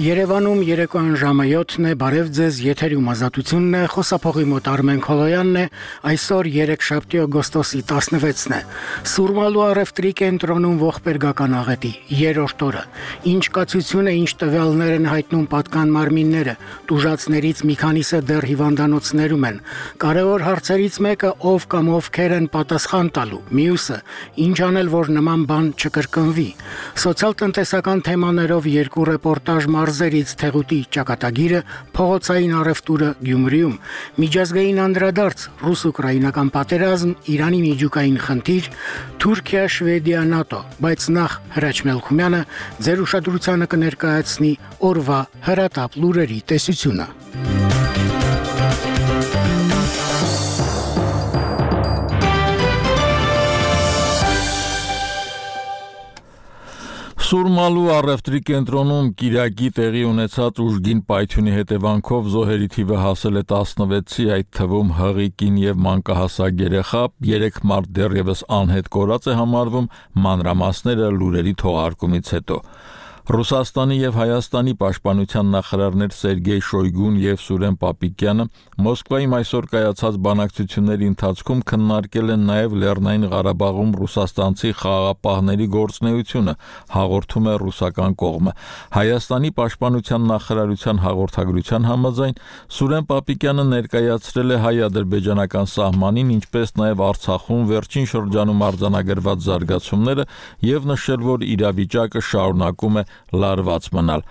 Երևանում երեկոյան ժամը 7-ն է, բարև ձեզ, եթերում ազատությունն է, խոսափողի մոտ Արմեն Քոլոյանն է, այսօր երեքշաբթի օգոստոսի 16-ն է, Սուրմալու առևտրի կենտրոնում ողբերգական աղետի 3-րդ օրը, ինչ կացություն է, ինչ տվյալներ են հայտնում պատկան մարմինները, տուժածներից մի քանիսը դեռ հիվանդանոցներում են, կարևոր հարցերից մեկը ով կամ ովքեր են պատասխան տալու, մյուսը, ինչ անել, որ նման բան չկրկնվի, սոցիալ-տնտեսական թեմաներով երկու ռեպորտաժ մարզերից Թեղուտի ճակատագիրը, փողոցային առևտուրը Գյումրիում, միջազգային անդրադարձ ռուս-ուկրաինական պատերազմ, Իրանի միջուկային խնդիր, Թուրքիա, Շվեդիա, ՆԱՏՕ, բայց նախ Հրաչ Մելքումյանը ձեր ուշադրությանը կներկայացնի օրվա հրատապ լուրերի տեսությունը։ Սուրմալու առևտրի կենտրոնում Կիրակի տեղի ունեցած ուժգին պայթյունի հետևանքով զոհերի թիվը հասել է 16-ի, այդ թվում հղի կին և մանկահասակ երեխա, 3 մարդ դեռևս անհետ կորած է համարվում, մանրամասները լուրերի թողարկումից հետո։ Ռուսաստանի և Հայաստանի պաշտպանության նախարարներ Սերգեյ Շոյգուն և Սուրեն Պապիկյանը Մոսկվայում այսօր կայացած բանակցությունների ընթացքում քննարկել են նաև Լեռնային Ղարաբաղում ռուսաստանցի խաղաղապահների գործունեությունը, հաղորդում է ռուսական կողմը։ Հայաստանի պաշտպանության նախարարության հաղորդագրության համաձայն Սուրեն Պապիկյանը ներկայացրել է հայ-ադրբեջանական սահմանին, ինչպես նաև Արցախում վերջին շրջանում արձանագրված զարգացումները եւ նշել, որ իրավիճակը շարունակում է լարված մնալ։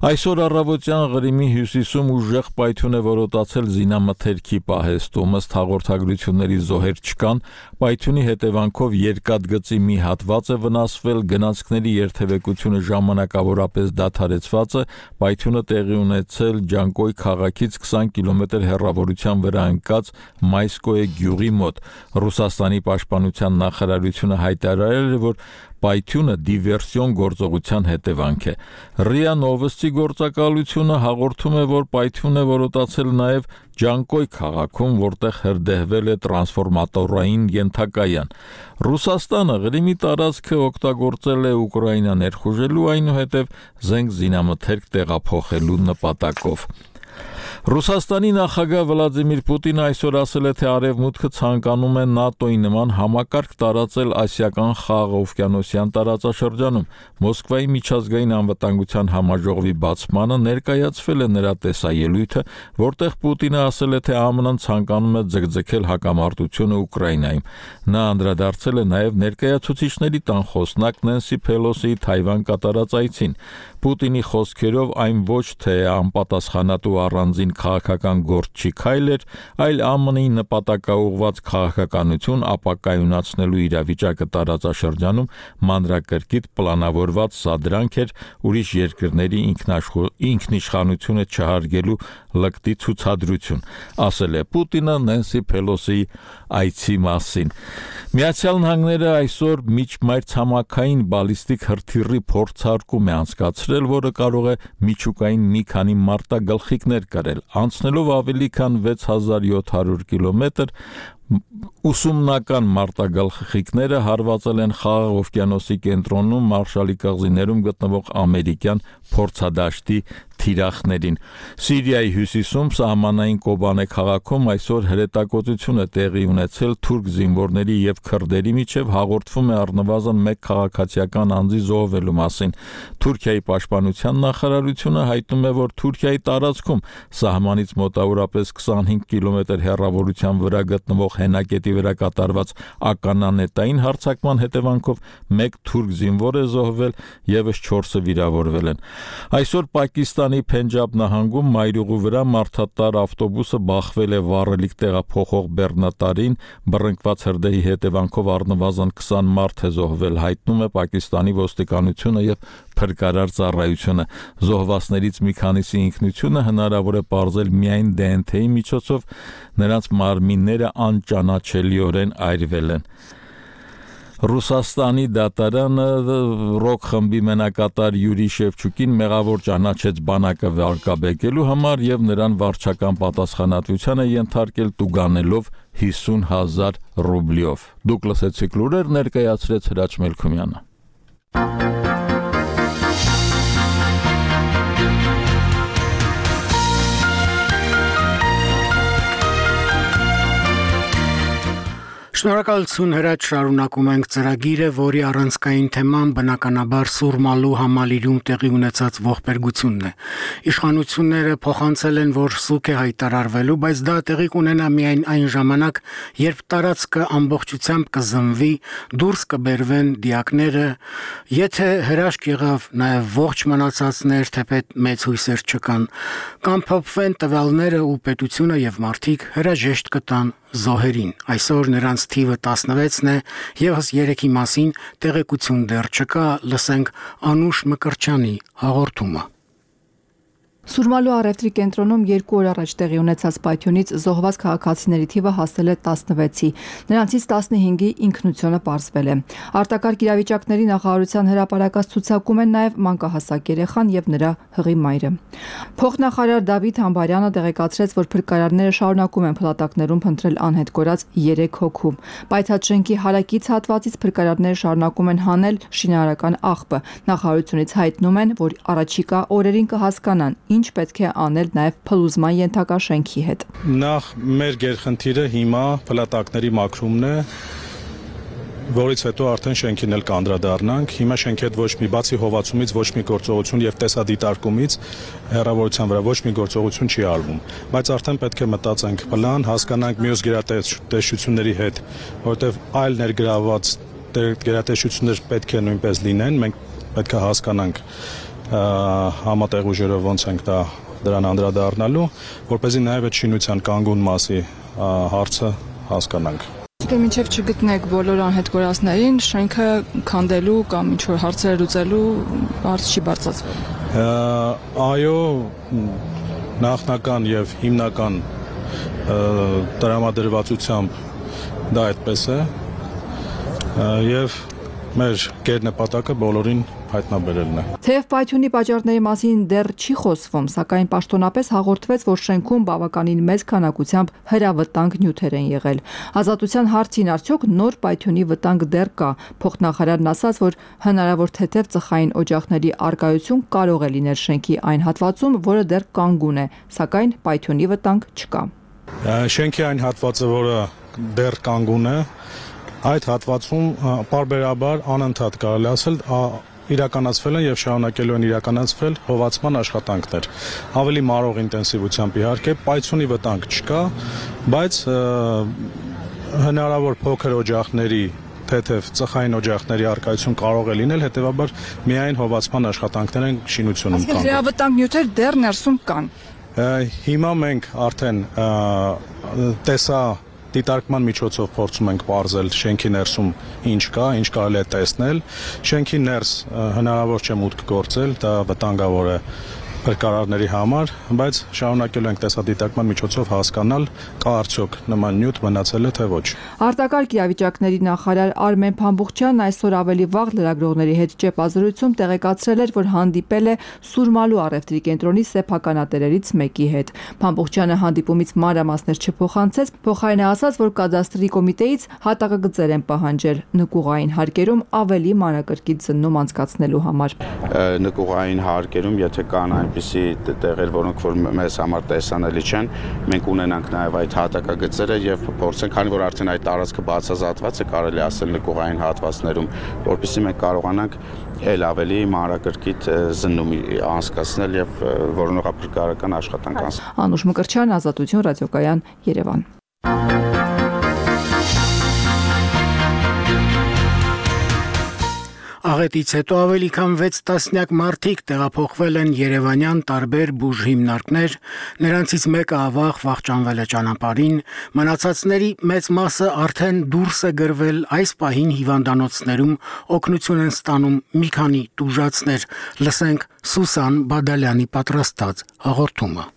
Այսօր առավոտյան Ղրիմի հյուսիսում ուժեղ պայթյուն է որոտացել զինամթերքի պահեստում, ըստ հաղորդագրությունների զոհեր չկան, պայթյունի հետևանքով երկաթգծի մի հատված է վնասվել, գնացքների երթևեկությունը ժամանակավորապես դադարեցված է, պայթյունը տեղի ունեցել Ջանկոյ քաղաքից 20 կիլոմետր հեռավորության վրա ընկած Մայսկոյե գյուղի մոտ։ Ռուսաստանի պաշտպանության նախարարությունը հայտարարել է, որ պայթյունը դիվերսիոն գործողության հետևանք է։ ՌԻԱ Նովոստի գործակալությունը հաղորդում է, որ պայթյուն է որոտացել նաև Ջանկոյ քաղաքում, որտեղ հրդեհվել է տրանսֆորմատորային ենթակայան։ Ռուսաստանը Ղրիմի տարածքը օգտագործել է Ուկրաինա ներխուժելու, այնուհետև զենք զինամթերք տեղափոխելու նպատակով։ Ռուսաստանի նախագահ Վլադիմիր Պուտինը այսօր ասել է, թե Արևմուտքը ցանկանում է ՆԱՏՕ-ի նման համակարգ տարածել ասիական խաղաղօվկիանոսյան տարածաշրջանում։ Մոսկվայի միջազգային անվտանգության համաժողովի բացմանը ներկայացվել է նրա տեսաելույթը, որտեղ Պուտինը ասել է, թե ԱՄՆ-ն ցանկանում է ձգձգել հակամարտությունը Ուկրաինայում։ Նա անդրադարձել է նաև ներկայացուցիչների տան խոսնակ Նենսի Փելոսիի Թայվան կատարած այցին։ Պուտինի խոսքերով այն ոչ թե անպատասխանատու առանձին քաղաքական գործ չի քայլ էր, այլ ԱՄՆ-ի նպատակաուղղված քաղաքականություն ապակայունացնելու իրավիճակը տարածաշրջանում մանրակրկիտ պլանավորված սադրանք էր ուրիշ երկրների ինքնիշխանությունը չհարգելու լկտի ցուցադրություն, ասել է Պուտինը Նենսի Փելոսիի այցի մասին։ Միացյալ Նահանգները այսօր միջմայրցամաքային բալիստիկ հրթիռի փորձարկում է անցկացրել, որը կարող է միջուկային մի քանի մարտագլխիկներ կրել, անցնելով ավելի քան 6700 կիլոմետր, ուսումնական մարտագլխիկները հարվածել են Խաղաղ օվկիանոսի կենտրոնում Մարշալի կղզիներում գտնվող ամերիկյան փորձադաշտի թիրախներին։ Սիրիայի հյուսիսում սահմանային Կոբանե քաղաքում այսօր հրետակոծություն է տեղի ունեցել թուրք զինվորների եւ քրդերի միջև, հաղորդվում է առնվազն 1 քաղաքացիական անձի զոհվելու մասին։ Թուրքիայի պաշտպանության նախարարությունը հայտնում է, որ Թուրքիայի տարածքում սահմանից մոտավորապես 25 կիլոմետր հեռավորության վրա գտնվող հենակետի վրա կատարված ականանետային հարձակման հետևանքով 1 թուրք զինվոր է զոհվել, եւս 4-ը վիրավորվել են։ Այսօր Պակիստանի Փենջաբ նահանգում մայրուղու վրա մարդատար ավտոբուսը բախվել է վառելիք տեղափոխող բեռնատարին, բռնկված հրդեհի հետևանքով առնվազն 20 մարդ է զոհվել, հայտնում է Պակիստանի ոստիկանությունը եւ փրկարար ծառայությունը։ Զոհվածներից մի քանիսի ինքնությունը հնարավոր է պարզել միայն ԴՆԹ-ի միջոցով, նրանց մարմինները անճանաչելիորեն այրվել են։ Ռուսաստանի դատարանը ռոք խմբի մենակատար Յուրի Շևչուկին մեղավոր ճանաչեց բանակը վարկաբեկելու համար եւ նրան վարչական պատասխանատվության է ենթարկել տուգանելով 50,000 ռուբլիով։ Դուք լսեցիք լուրեր, ներկայացրեց Հրաչ Մելքումյանը։ Շնորհակալություն Հրաչ, շարունակում ենք ծրագիրը, որի առանցքային թեման բնականաբար Սուրմալու համալիրում տեղի ունեցած ողբերգությունն է։ Իշխանությունները փոխանցել են, որ սուկ է հայտարարվելու, բայց դա տեղի կունենա միայն այն ժամանակ, երբ տարածքը ամբողջությամբ կզնվի, դուրս կբերվեն դիակները, եթե հրաշք եղավ նաև ողջ մնացածներ, թեպետ մեծ հույսեր չկան, կամ փոփվեն տվյալները ու պետությունը եւ մարդիկ հրաժեշտ կտան զոհերին։ Այսօր նրանց թիվը 16-ն է, եւս 3-ի մասին տեղեկություն դեռ չկա, լսենք Անուշ Մկրչյանի հաղորդումը։ Սուրմալու առևտրի կենտրոնում 2 օր առաջ տեղի ունեցած պայթյունից զոհված քաղաքացիների թիվը հասել է 16-ի, նրանցից 15-ի ինքնությունը պարզվել է։ Արտակարգ իրավիճակների նախարարության հրապարակած ցուցակում են նաև մանկահասակ երեխան եւ նրա հղի մայրը։ Փոխնախարար Դավիթ Համբարյանը տեղեկացրեց, որ փրկարարները շարունակում են փլատակներում փնտրել անհետ կորած 3 հոգու։ Պայթած շենքի հարակից հատվածից փրկարարները շարունակում են հանել շինարարական աղբը։ Նախարարությունից հայտնում են, որ առաջիկա օրերին կհասկանան ինչ պետք է անել նաև փլուզման ենթակա շենքի հետ։ Նախ մեր գերխնդիրը հիմա փլատակների մաքրումն է, որից հետո արդեն շենքին էլ կանդրադառնանք։ Հիմա շենքի հետ ոչ մի բացի հովացումից ոչ մի գործողություն եւ տեսադիտարկումից հեռավորության վրա ոչ մի գործողություն չի արվում, բայց արդեն պետք է մտածենք պլան, հասկանանք մյուս գերատեսչությունների հետ, որովհետեւ այլ ներգրաված գերատեսչություններ պետք է նույնպես լինեն, մենք պետք է հասկանանք համատեղ ուժերով ոնց ենք դրան անդրադառնալու, որպեսզի նաև այդ շինության կանգուն մասի հարցը հասկանանք։ Մինչև չգտնեք բոլոր անհետ կորածներին, շենքը քանդելու կամ ինչ-որ հարցեր լուծելու հարց չի բարձրացվել։ Այո, նախնական եւ հիմնական տրամադրվածությամբ դա այդպես է եւ մեր գերնպատակը բոլորին հայտնաբերելն է։ Թեև պայթյունի պատճառների մասին դեռ չի խոսվում, սակայն պաշտոնապես հաղորդվեց, որ շենքում բավականին մեծ քանակությամբ հրավտանգ նյութեր են եղել։ Ազատության հարցին արդյոք նոր պայթյունի վտանգ դեռ կա։ Փոխնախարարն ասաց, որ հնարավոր թեթև ծխային օջախների արկայություն կարող է լինել շենքի այն հատվածում, որը դեռ կանգուն է, սակայն պայթյունի վտանգ չկա։ Շենքի այն հատվածը, որը դեռ կանգուն է, այդ հատվածում պարբերաբար անընդհատ կարելի ասել իրականացվել են եւ շարունակելու են իրականացվել հովացման աշխատանքներ։ Ավելի մարող ինտենսիվությամբ իհարկե պայթյունի վտանգ չկա, բայց հնարավոր փոքր օջախների, թեթև ծխային օջախների արկայություն կարող է լինել, հետեւաբար միայն հովացման աշխատանքներ են շինությունում կան։ Հրավտանգ նյութեր դեռ ներսում կան։ Հիմա մենք արդեն դիտարկման միջոցով փորձում ենք պարզել շենքի ներսում ինչ կա, ինչ կարելի է տեսնել։ Շենքի ներս հնարավոր չէ մուտք գործել, դա վտանգավոր է փրկարարների համար, բայց շարունակելու ենք տեսադիտարկման միջոցով հասկանալ կա արդյոք նման նյութ մնացել է թե ոչ։ Արտակարգ իրավիճակների նախարար Արմեն Փամբուխչյանն այսօր ավելի վաղ լրագրողների հետ ճեպազրույցում տեղեկացրել էր, որ հանդիպել է Սուրմալու առևտրի կենտրոնի սեփականատերերից մեկի հետ։ Փամբուխչյանը հանդիպումից մանրամասներ չփոխանցեց, փոխարենը ասաց, որ կադաստրի կոմիտեից հատակագծեր են պահանջել նկուղային հարկերում ավելի մանրակրկիտ զննում անցկացնելու համար։ Նկուղային հարկերում, եթե կան այնպիսի տեղեր, որոնք որ մեզ համար տեսանելի չեն, մենք ունենանք նաև այդ հատակագծերը եւ փորձենք, քանի որ արդեն այդ տարածքը բացազատված է, կարելի ասել նկուղային հատվածներում, որովհետեւ մենք կարողանանք ել ավելի մանրակրկիտ զննում անցկացնել եւ որոնողափրկարարական աշխատանք անցնել։ Անուշ Մկրչյան, Ազատություն, ռադիոկայան, Երևան։ Աղետից հետո ավելի քան 6 տասնյակ մարդիկ տեղափոխվել են երևանյան տարբեր բուժ հիմնարկներ, նրանցից մեկը ավաղ վախճանվել է ճանապարհին, մնացածների մեծ մասը արդեն դուրս է գրվել, այս պահին հիվանդանոցներում օգնություն են ստանում մի քանի տուժածներ, լսենք Սուսան Բադալյանի պատրաստած հաղորդումը։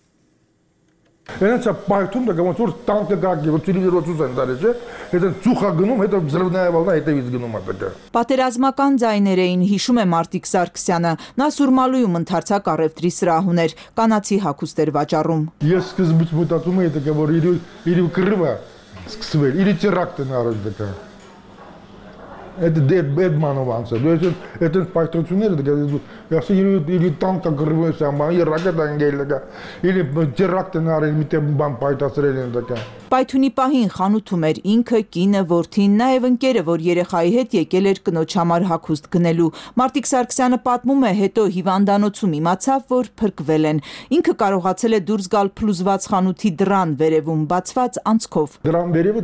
Այնց պայթում դա ոնց որ տանկը գակի, որ տելևիզորից են դարել, չէ՞։ Հետո ծուխա գնում, հետո взрывная волна հետևից գնում ատակա։ Պատերազմական ձայներ էին, հիշում է Մարտիկ Սարգսյանը։ Նա Սուրմալույում ընդարձակ առևտրի սրահ ուներ, կանացի հագուստեր վաճառում։ Ես սկզբից մտածում էի դա որ իր կռվա սկսվել, իր տերակտն առաջ դկա։ Это Бедманованца. То есть это пайтонцунеры, или танка грываются, или ракета ангелика, или теракты на армите бам пайтасрелен такая. Պայթունի պահին խանութում էր ինքը, կինը, որդին, նաև ընկերը, որ երեխայի հետ եկել էր կնոջ համար հագուստ գնելու։ Մարտիկ Սարգսյանը պատմում է, հետո հիվանդանոցում իմացավ, որ փրկվել են։ Ինքը կարողացել է դուրս գալ փլուզված խանութի դռան վերևում բացված անցքով։ Դռան վերևը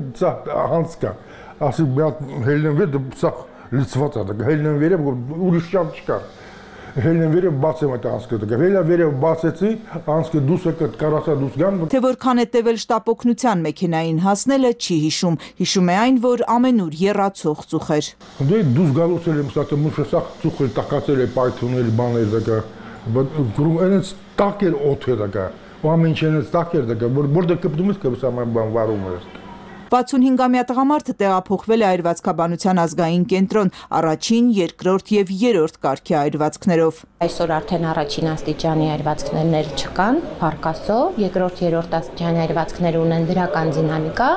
անց կա։ Ասի հելնեն վեր սա լցված է, հելնեն վերև ուրիշ շանս չկա։ Հելնեն վերև բացեմ այդ անցքը, հելնա վերև բացեցի, անցքը դուս է կարասա դուս գան։ Թե որքան է տևել շտապօգնության մեքենային հասնելը չի հիշում։ Հիշում է այն, որ ամենուր եռացող ծուխ էր։ Դե դուս գալուց էլ եմ ստացել, մուշը սա ծուխ էր տակացել է պայթունել բաներ դակա։ Գրում այնց տակ էր օդ է դակա։ Ամեն ինչ այնց տակ էր դակա, որտեղ կպտում ես կսա բան վարում էր։ 65-ամյա տղամարդը տեղափոխվել է այրվածքաբանության ազգային կենտրոն առաջին, երկրորդ եւ երրորդ կարգի այրվածքներով։ Այսօր արդեն առաջին աստիճանի այրվածքներ չկան, փառքաստո, երկրորդ, երրորդ աստիճանի այրվածքներ ունեն դրական դինամիկա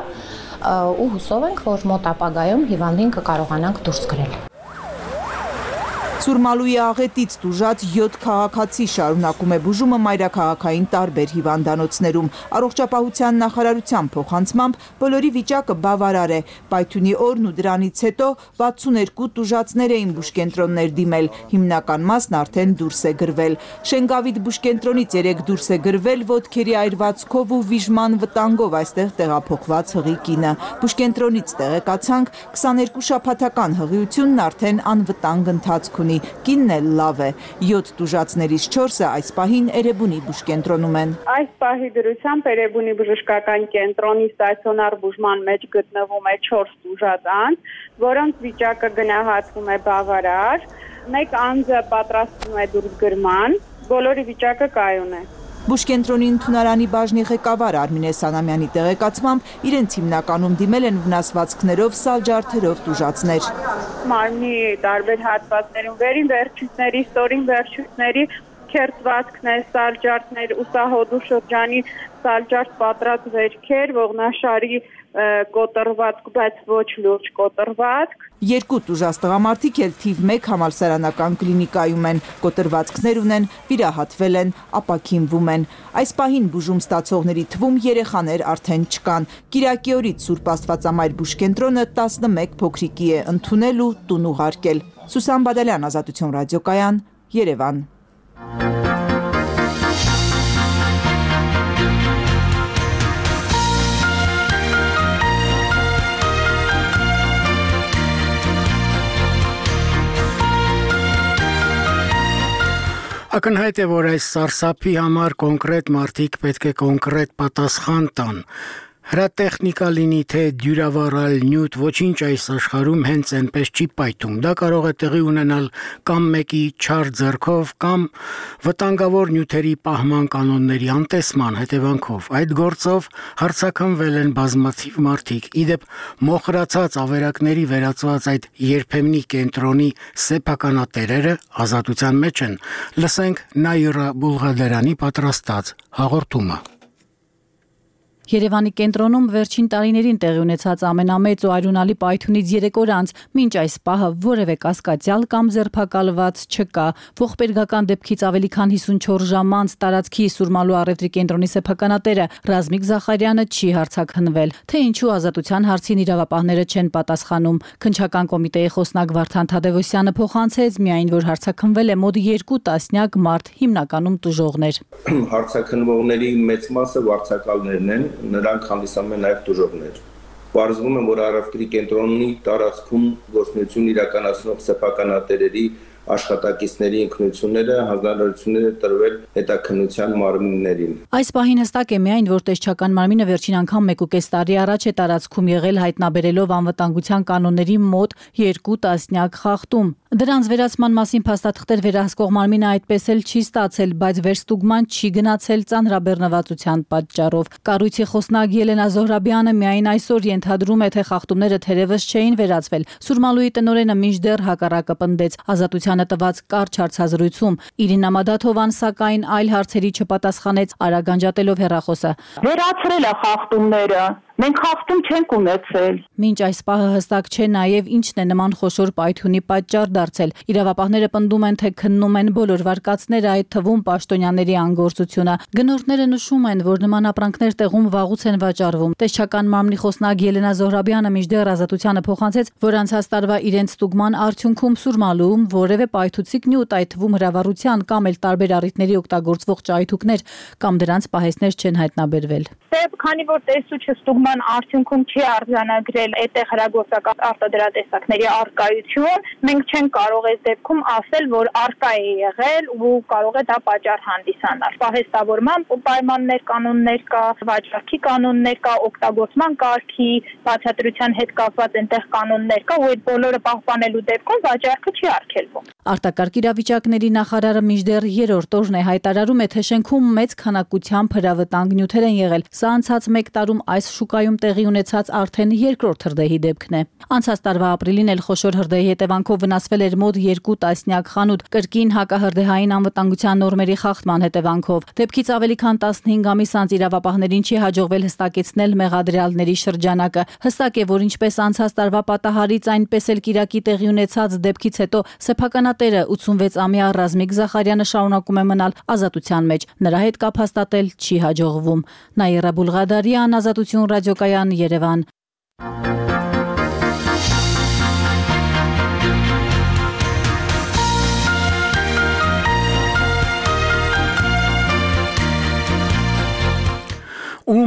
ու հուսով ենք, որ մոտ ապագայում հիվանդին կկարողանանք դուրս գրել։ Սուրմալուի աղետից տուժած 7 քաղաքացի շարունակում է բուժումը մայրաքաղաքային տարբեր հիվանդանոցներում։ Առողջապահության նախարարության փոխանցմամբ բոլորի վիճակը բավարար է։ Պայթյունի օրն ու դրանից հետո 62 տուժածներ էին բուժկենտրոններ դիմել, հիմնական մասն արդեն դուրս է գրվել։ Շենգավիթ բուժկենտրոնից 3 դուրս է գրվել ոտքերի այրվածքով ու վիժման վտանգով այստեղ տեղափոխված հղի կինը։ Բուժկենտրոնից տեղեկացանք 22 շաբաթական հղիությունն արդեն անվտանգ ընթացք ունի։ Կինն էլ լավ է։ 7 տուժածներից 4-ը այս պահին Էրեբունի բուժկենտրոնում են։ Այս պահի դրությամբ Էրեբունի բժշկական կենտրոնի ստացիոնար բուժման մեջ գտնվում է 4 տուժած անձ, որոնց վիճակը գնահատվում է բավարար։ Մեկ անձը պատրաստվում է դուրս գրման, բոլորի վիճակը կայուն է։ Բուժկենտրոնի ընդունարանի բաժնի ղեկավար Արմինե Սանամյանի տեղեկացմամբ իրենց հիմնականում դիմել են վնասվածքներով, սալջարդերով տուժածներ։ Մարմնի տարբեր հատվածներում վերին վերջույթների, ստորին վերջույթների քերծվածքներ, սալջարդներ, ուսահոդու շրջանի սալջարդ պատրած վերքեր, ողնաշարի կոտրվածք, բայց ոչ լուրջ կոտրվածք։ 2 տուժած տղամարդիկ էլ թիվ 1 համալսարանական կլինիկայում են, կոտրվածքներ ունեն, վիրահատվել են, ապաքինվում են։ Այս պահին բուժում ստացողների թվում երեխաներ արդեն չկան։ Կիրակի օրից Սուրբ Աստվածամայր բուժկենտրոնը 11 փոքրիկի է ընդունել ու տուն ուղարկել։ Սուսան Բադալյան, Ազատություն ռադիոկայան, Երևան։ Ակնհայտ է, որ այս սարսափի համար կոնկրետ մարդիկ պետք է կոնկրետ պատասխան տան։ Հրատեխնիկա լինի թե դյուրավառալ նյութ, ոչինչ այս աշխարհում հենց այնպես չի պայթում։ Դա կարող է տեղի ունենալ կամ մեկի չար ձեռքով, կամ վտանգավոր նյութերի պահման կանոնների անտեսման հետևանքով։ Այդ գործով հարձակվվել են բազմաթիվ մարդիկ։ Իդեպ մոխրացած ավերակների վերածված այդ երբեմնի կենտրոնի սեփականատերերը ազատության մեջ են։ Լսենք Նայիրա Բուլղադարյանի պատրաստած հաղորդումը։ Երևանի կենտրոնում վերջին տարիներին տեղի ունեցած ամենամեծ ու արյունալի պայթյունից 3 օր անց մինչ այս պահը որևէ կասկածյալ կամ ձերբակալված չկա։ Ողբերգական դեպքից ավելի քան 54 ժամ անց տարածքի Սուրմալու առևտրի կենտրոնի սեփականատերը Ռազմիկ Զախարյանը չի հարձակվել, թե ինչու ազատության հարցին իրավապահները չեն պատասխանում։ Քննչական կոմիտեի խոսնակ Վարդան Թադևոսյանը փոխանցեց միայն, որ հարձակվել է մոտ 2 տասնյակ մարդ, հիմնականում տուժողներ։ Հարձակվողների մեծ մասը վարձակալներն են, նրանք հանդիսանում են նաև տուժողներ։ Պարզվում է, որ առևտրի կենտրոնի տարածքում գործունեություն իրականացնող սեփականատերերի աշխատակիցների ինքնությունները հանձնարարություններ տրվել հետաքննության մարմիններին։ Այս պահին հստակ է միայն, որ տեսչական մարմինը վերջին անգամ 1.5 տարի առաջ է տարածքում եղել հայտնաբերելով անվտանգության կանոնների մոտ 2 տասնյակ խախտում։ Դրանց վերացման մասին փաստաթղթեր վերահսկող մարմինը այդպես էլ չի ստացել, բայց վերստուգման չի գնացել ծանրաբեռնվածության պատճառով։ Կառույցի խոսնակ Ելենա Զոհրաբյանը միայն այսօր ենթադրում է, թե խախտումները թերևս չէին վերացվել։ Սուրմալուի տնօրենը մինչդեռ հակառակը պնդեց ազատությանը տված կարճ հարցազրույցում։ Իրինա Մադաթովան սակայն այլ հարցերի չպատասխանեց, արագ անջատելով հեռախոսը։ Վերացրել է խախտումները, Մենք խախտում չենք ունեցել։ Մինչ այս պահը հստակ չէ նաև ինչն է նման խոշոր պայթյունի պատճառ դարձել։ Իրավապահները պնդում են, թե քննում են բոլոր վարկածները, այդ թվում պաշտոնյաների անգործությունը։ Գնորդները նշում են, որ նման ապրանքներ տեղում վաղուց են վաճառվում։ Տեսչական մարմնի խոսնակ Ելենա Զոհրաբյանը մինչդեռ Ազատությանը փոխանցեց, որ անցած տարվա իրենց ստուգման արդյունքում Սուրմալուում որևէ պայթուցիկ նյութ, այդ թվում հրավառության կամ էլ տարբեր առիթների օգտագործվող ճայթուկներ կամ դրանց պահեստներ չեն հայտնաբերվել։ Քանի որ տեսուչը ստուգման արդյունքում չի արձանագրել այդտեղ հրագործական արտադրատեսակների արկայություն, մենք չենք կարող այս դեպքում ասել, որ արկա է եղել ու կարող է դա պատճառ հանդիսանալ։ Պահեստավորման պայմաններ, կանոններ կա, վաճառքի կանոններ կա, օգտագործման կարգի, բացատրության հետ կապված այնտեղ կանոններ կա, ու այդ բոլորը պահպանելու դեպքում վաճառքը չի արգելվում։ Արտակարգ իրավիճակների նախարարը մինչդեռ երրորդ օրն է հայտարարում է, թե շենքում մեծ քանակությամբ հրավտանգ նյութեր են եղել։ Սա անցած 1 տարում այս շուկայում տեղի ունեցած արդեն երկրորդ հրդեհի դեպքն է։ Անցած տարվա ապրիլին էլ խոշոր հրդեհի հետևանքով վնասվել էր մոտ 2 տասնյակ խանութ, կրկին հակահրդեհային անվտանգության նորմերի խախտման հետևանքով։ Դեպքից ավելի քան 15 ամիս անց իրավապահներին չի հաջողվել հստակեցնել մեղադրյալների շրջանակը։ Հստակ է, որ ինչպես անցած տարվա պատահարից, այնպես էլ կիրակի տեղի ունեցած դեպքից հետո սեփականատերը 86-ամյա Ռազմիկ Զախարյանը շարունակում է մնալ ազատության մեջ։ Նրա հետ կապ հաստատել չի հաջողվում։ Նաիրա Բուլղադարյան, Ազատություն ռադիոկայան, Երևան։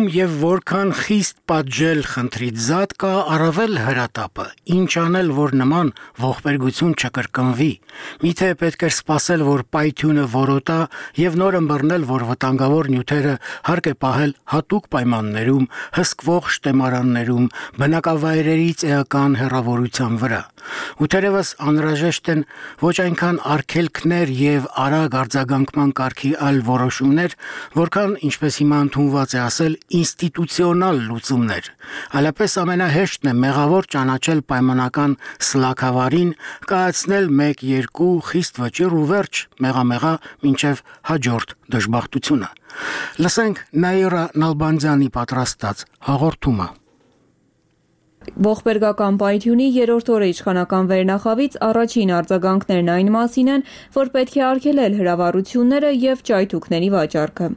Եվ որքան խիստ պատժել խնդրից զատ կա առավել հրատապը, ինչ անել, որ նման ողբերգություն չկրկնվի։ Միթե պետք է սպասել, որ պայթյունը որոտա եւ նոր ըմբռնել, որ վտանգավոր նյութերը հարկ է պահել հատուկ պայմաններում, հսկվող շտեմարաններում, բնակավայրերից էական հեռավորության վրա։ Ու թերևս անհրաժեշտ են ոչ այնքան արգելքներ եւ արագ արձագանքման կարգի այլ որոշումներ, որքան ինչպես հիմա ընդունված է ասել, ինստիտուցիոնալ լուծումներ։ Այլապես ամենահեշտն է մեղավոր ճանաչել պայմանական սլաքավարին, կայացնել 1-2 խիստ վճիռ ու վերջ, մեղամեղա մինչև հաջորդ դժբախտությունը։ Լսենք Նաիրա Նալբանդյանի պատրաստած հաղորդումը։ Ողբերգական պայթյունի երրորդ օրը իշխանական վերնախավից առաջին արձագանքներն այն մասին են, որ պետք է արգելել հրավառությունները եւ ճայթուկների վաճառքը։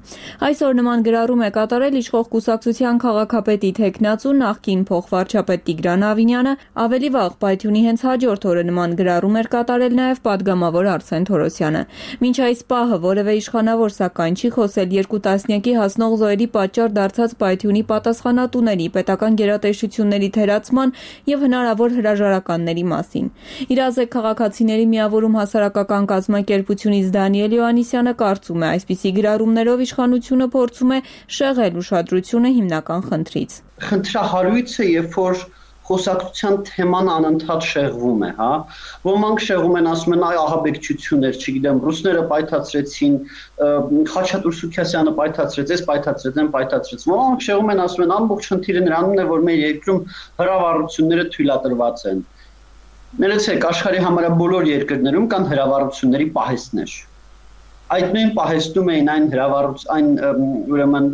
Այսօր նման գրառում է կատարել իշխող կուսակցության քաղաքապետի թեկնածու նախկին փոխվարչապետ Տիգրան Ավինյանը, ավելի վաղ պայթյունի հենց հաջորդ օրը նման գրառում էր կատարել նաեւ падգամավոր Արսեն Թորոսյանը։ Մինչ այս պահը որևէ իշխանավոր սակայն չի խոսել 2 տասնյակի հասնող զոհերի պատճառ դարձած պայթյունի պատասխանատուների, պետական գերատեսչությունների եւ հնարավոր հրաժարականների մասին։ Իրազեկ քաղաքացիների միավորում հասարակական կազմակերպությունից Դանիել Յոհաննիսյանը կարծում է, այսպիսի գրառումներով իշխանությունը փորձում է շեղել ուշադրությունը հիմնական խնդրից։ Խնդրահարույցը, երբ որ խոսակցության թեման անընդհատ շեղվում է, հա։ Ոմանք շեղում են, ասում են, այ ահաբեկչություններ, չգիտեմ, ռուսները պայթացրեցին, Խաչատուր Սուքիասյանը պայթացրեց, ես պայթացրեց։ Ոմանք շեղում են, ասում են, ամբողջ խնդիրը նրանում է, որ մեր երկրում հրավառությունները թույլատրված են։ Ներեցեք, աշխարհի համարյա բոլոր երկրներում կան հրավառությունների պահեստներ։ Այդ նույն պահեստում էին այն ուրեմն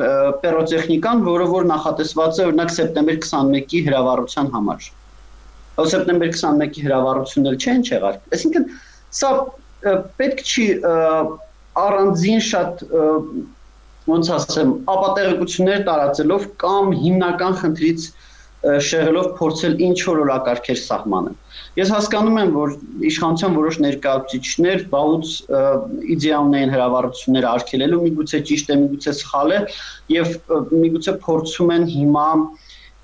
պիրոտեխնիկան, որը նախատեսված է օրինակ սեպտեմբեր 21-ի հրավառության համար։ Սեպտեմբեր 21-ի հրավառությունները չեն եղել։ Այսինքն սա պետք չի առանձին շատ ոնց ասեմ, ապատեղեկություններ տարածելով կամ հիմնական խնդրից շեղելով փորձել ինչ որ օրակարգեր սահմանել։ Ես հասկանում եմ, որ իշխանության որոշ ներկայացուցիչներ վաղուց իդեա ունեն հրավառությունները արգելելու, միգուցե ճիշտ է, միգուցե սխալ է, եւ միգուցե փորձում են հիմա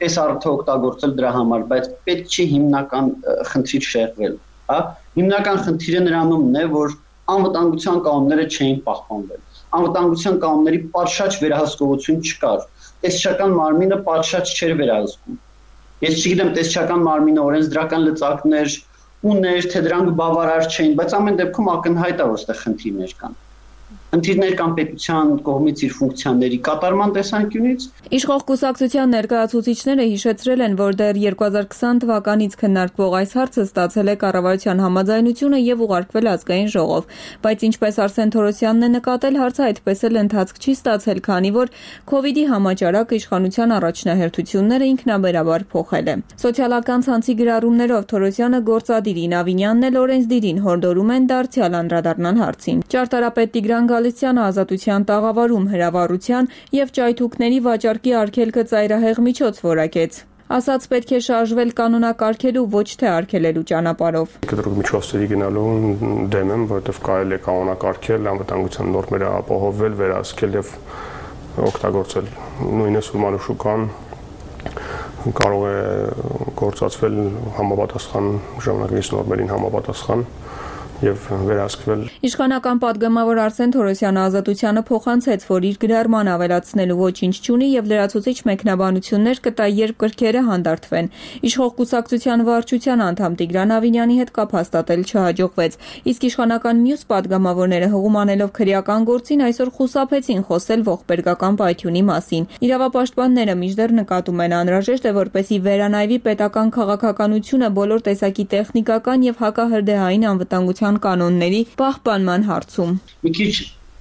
այս առիթը օգտագործել դրա համար, բայց պետք չի հիմնական խնդրից շեղվել, հա։ Հիմնական խնդիրը նրանումն է, որ անվտանգության կանոնները չէին պահպանվել։ Անվտանգության կանոնների պատշաճ վերահսկողություն չկար։ Տեսչական մարմինը պատշաճ չէր վերահսկում։ Ես չգիտեմ, տեսչական մարմինը օրենսդրական լծակներ ուներ, թե դրանք բավարար չէին, բայց ամեն դեպքում ակնհայտ է, որ այստեղ խնդիրներ կան։ խնդիրներ կան պետության կողմից իր ֆունկցիաների կատարման տեսանկյունից։ Իշխող կուսակցության ներկայացուցիչները հիշեցրել են, որ դեռ 2020 թվականից քննարկվող այս հարցը ստացել է կառավարության համաձայնությունը եւ ուղարկվել ազգային ժողով, բայց ինչպես Արսեն Թորոսյանն է նկատել, հարցը այդպես էլ ընթացք չի ստացել, քանի որ COVID-ի համաճարակ իշխանության առաջնահերթությունները ինքնաբերաբար փոխել է։ Սոցիալական ցանցի գրառումներով Թորոսյանը գործադիրին Ավինյանն էլ օրենսդիրին հորդորում են դարձյալ անդրադառնալ հարցին։ Ճարտարապետ Տիգրան Գալստյանը Ազատության տաղավարում հրավառության եւ ճայթուկների վաճառքի արգելքը ծայրահեղ միջոց որակեց։ Ասաց պետք է շարժվել կանոնակարգելու, ոչ թե արգելելու ճանապարհով։ Կտրուկ միջոցների գնալու դեմ եմ, որովհետեւ կարելի է կանոնակարգել, անվտանգության նորմերը ապահովել, վերահսկել եւ օգտագործել։ Նույնիսկ սուրմալու շուկան կարող է գործածվել համապատասխան ժամանակակից նորմերին համապատասխան եւ վերահսկվել։ Իշխանական պատգամավոր Արսեն Թորոսյանը Ազատությանը փոխանցեց, որ իր գրառման ավելացնելու ոչինչ չունի եւ լրացուցիչ մեկնաբանություններ կտա, երբ կրքերը հանդարտվեն։ Իշխող կուսակցության վարչության անդամ Տիգրան Ավինյանի հետ կապ հաստատել չհաջողվեց, իսկ իշխանական մյուս պատգամավորները հղում անելով քրեական գործին այսօր խուսափեցին խոսել ողբերգական պայթյունի մասին։ Իրավապաշտպանները մինչդեռ նկատում են անհրաժեշտ է, որպեսզի վերանայվի պետական քաղաքականությունը բոլոր տեսակի տեխնիկական եւ հակահրդեհային անվտանգության կանոնների պահպանման հարցում։ Մի քիչ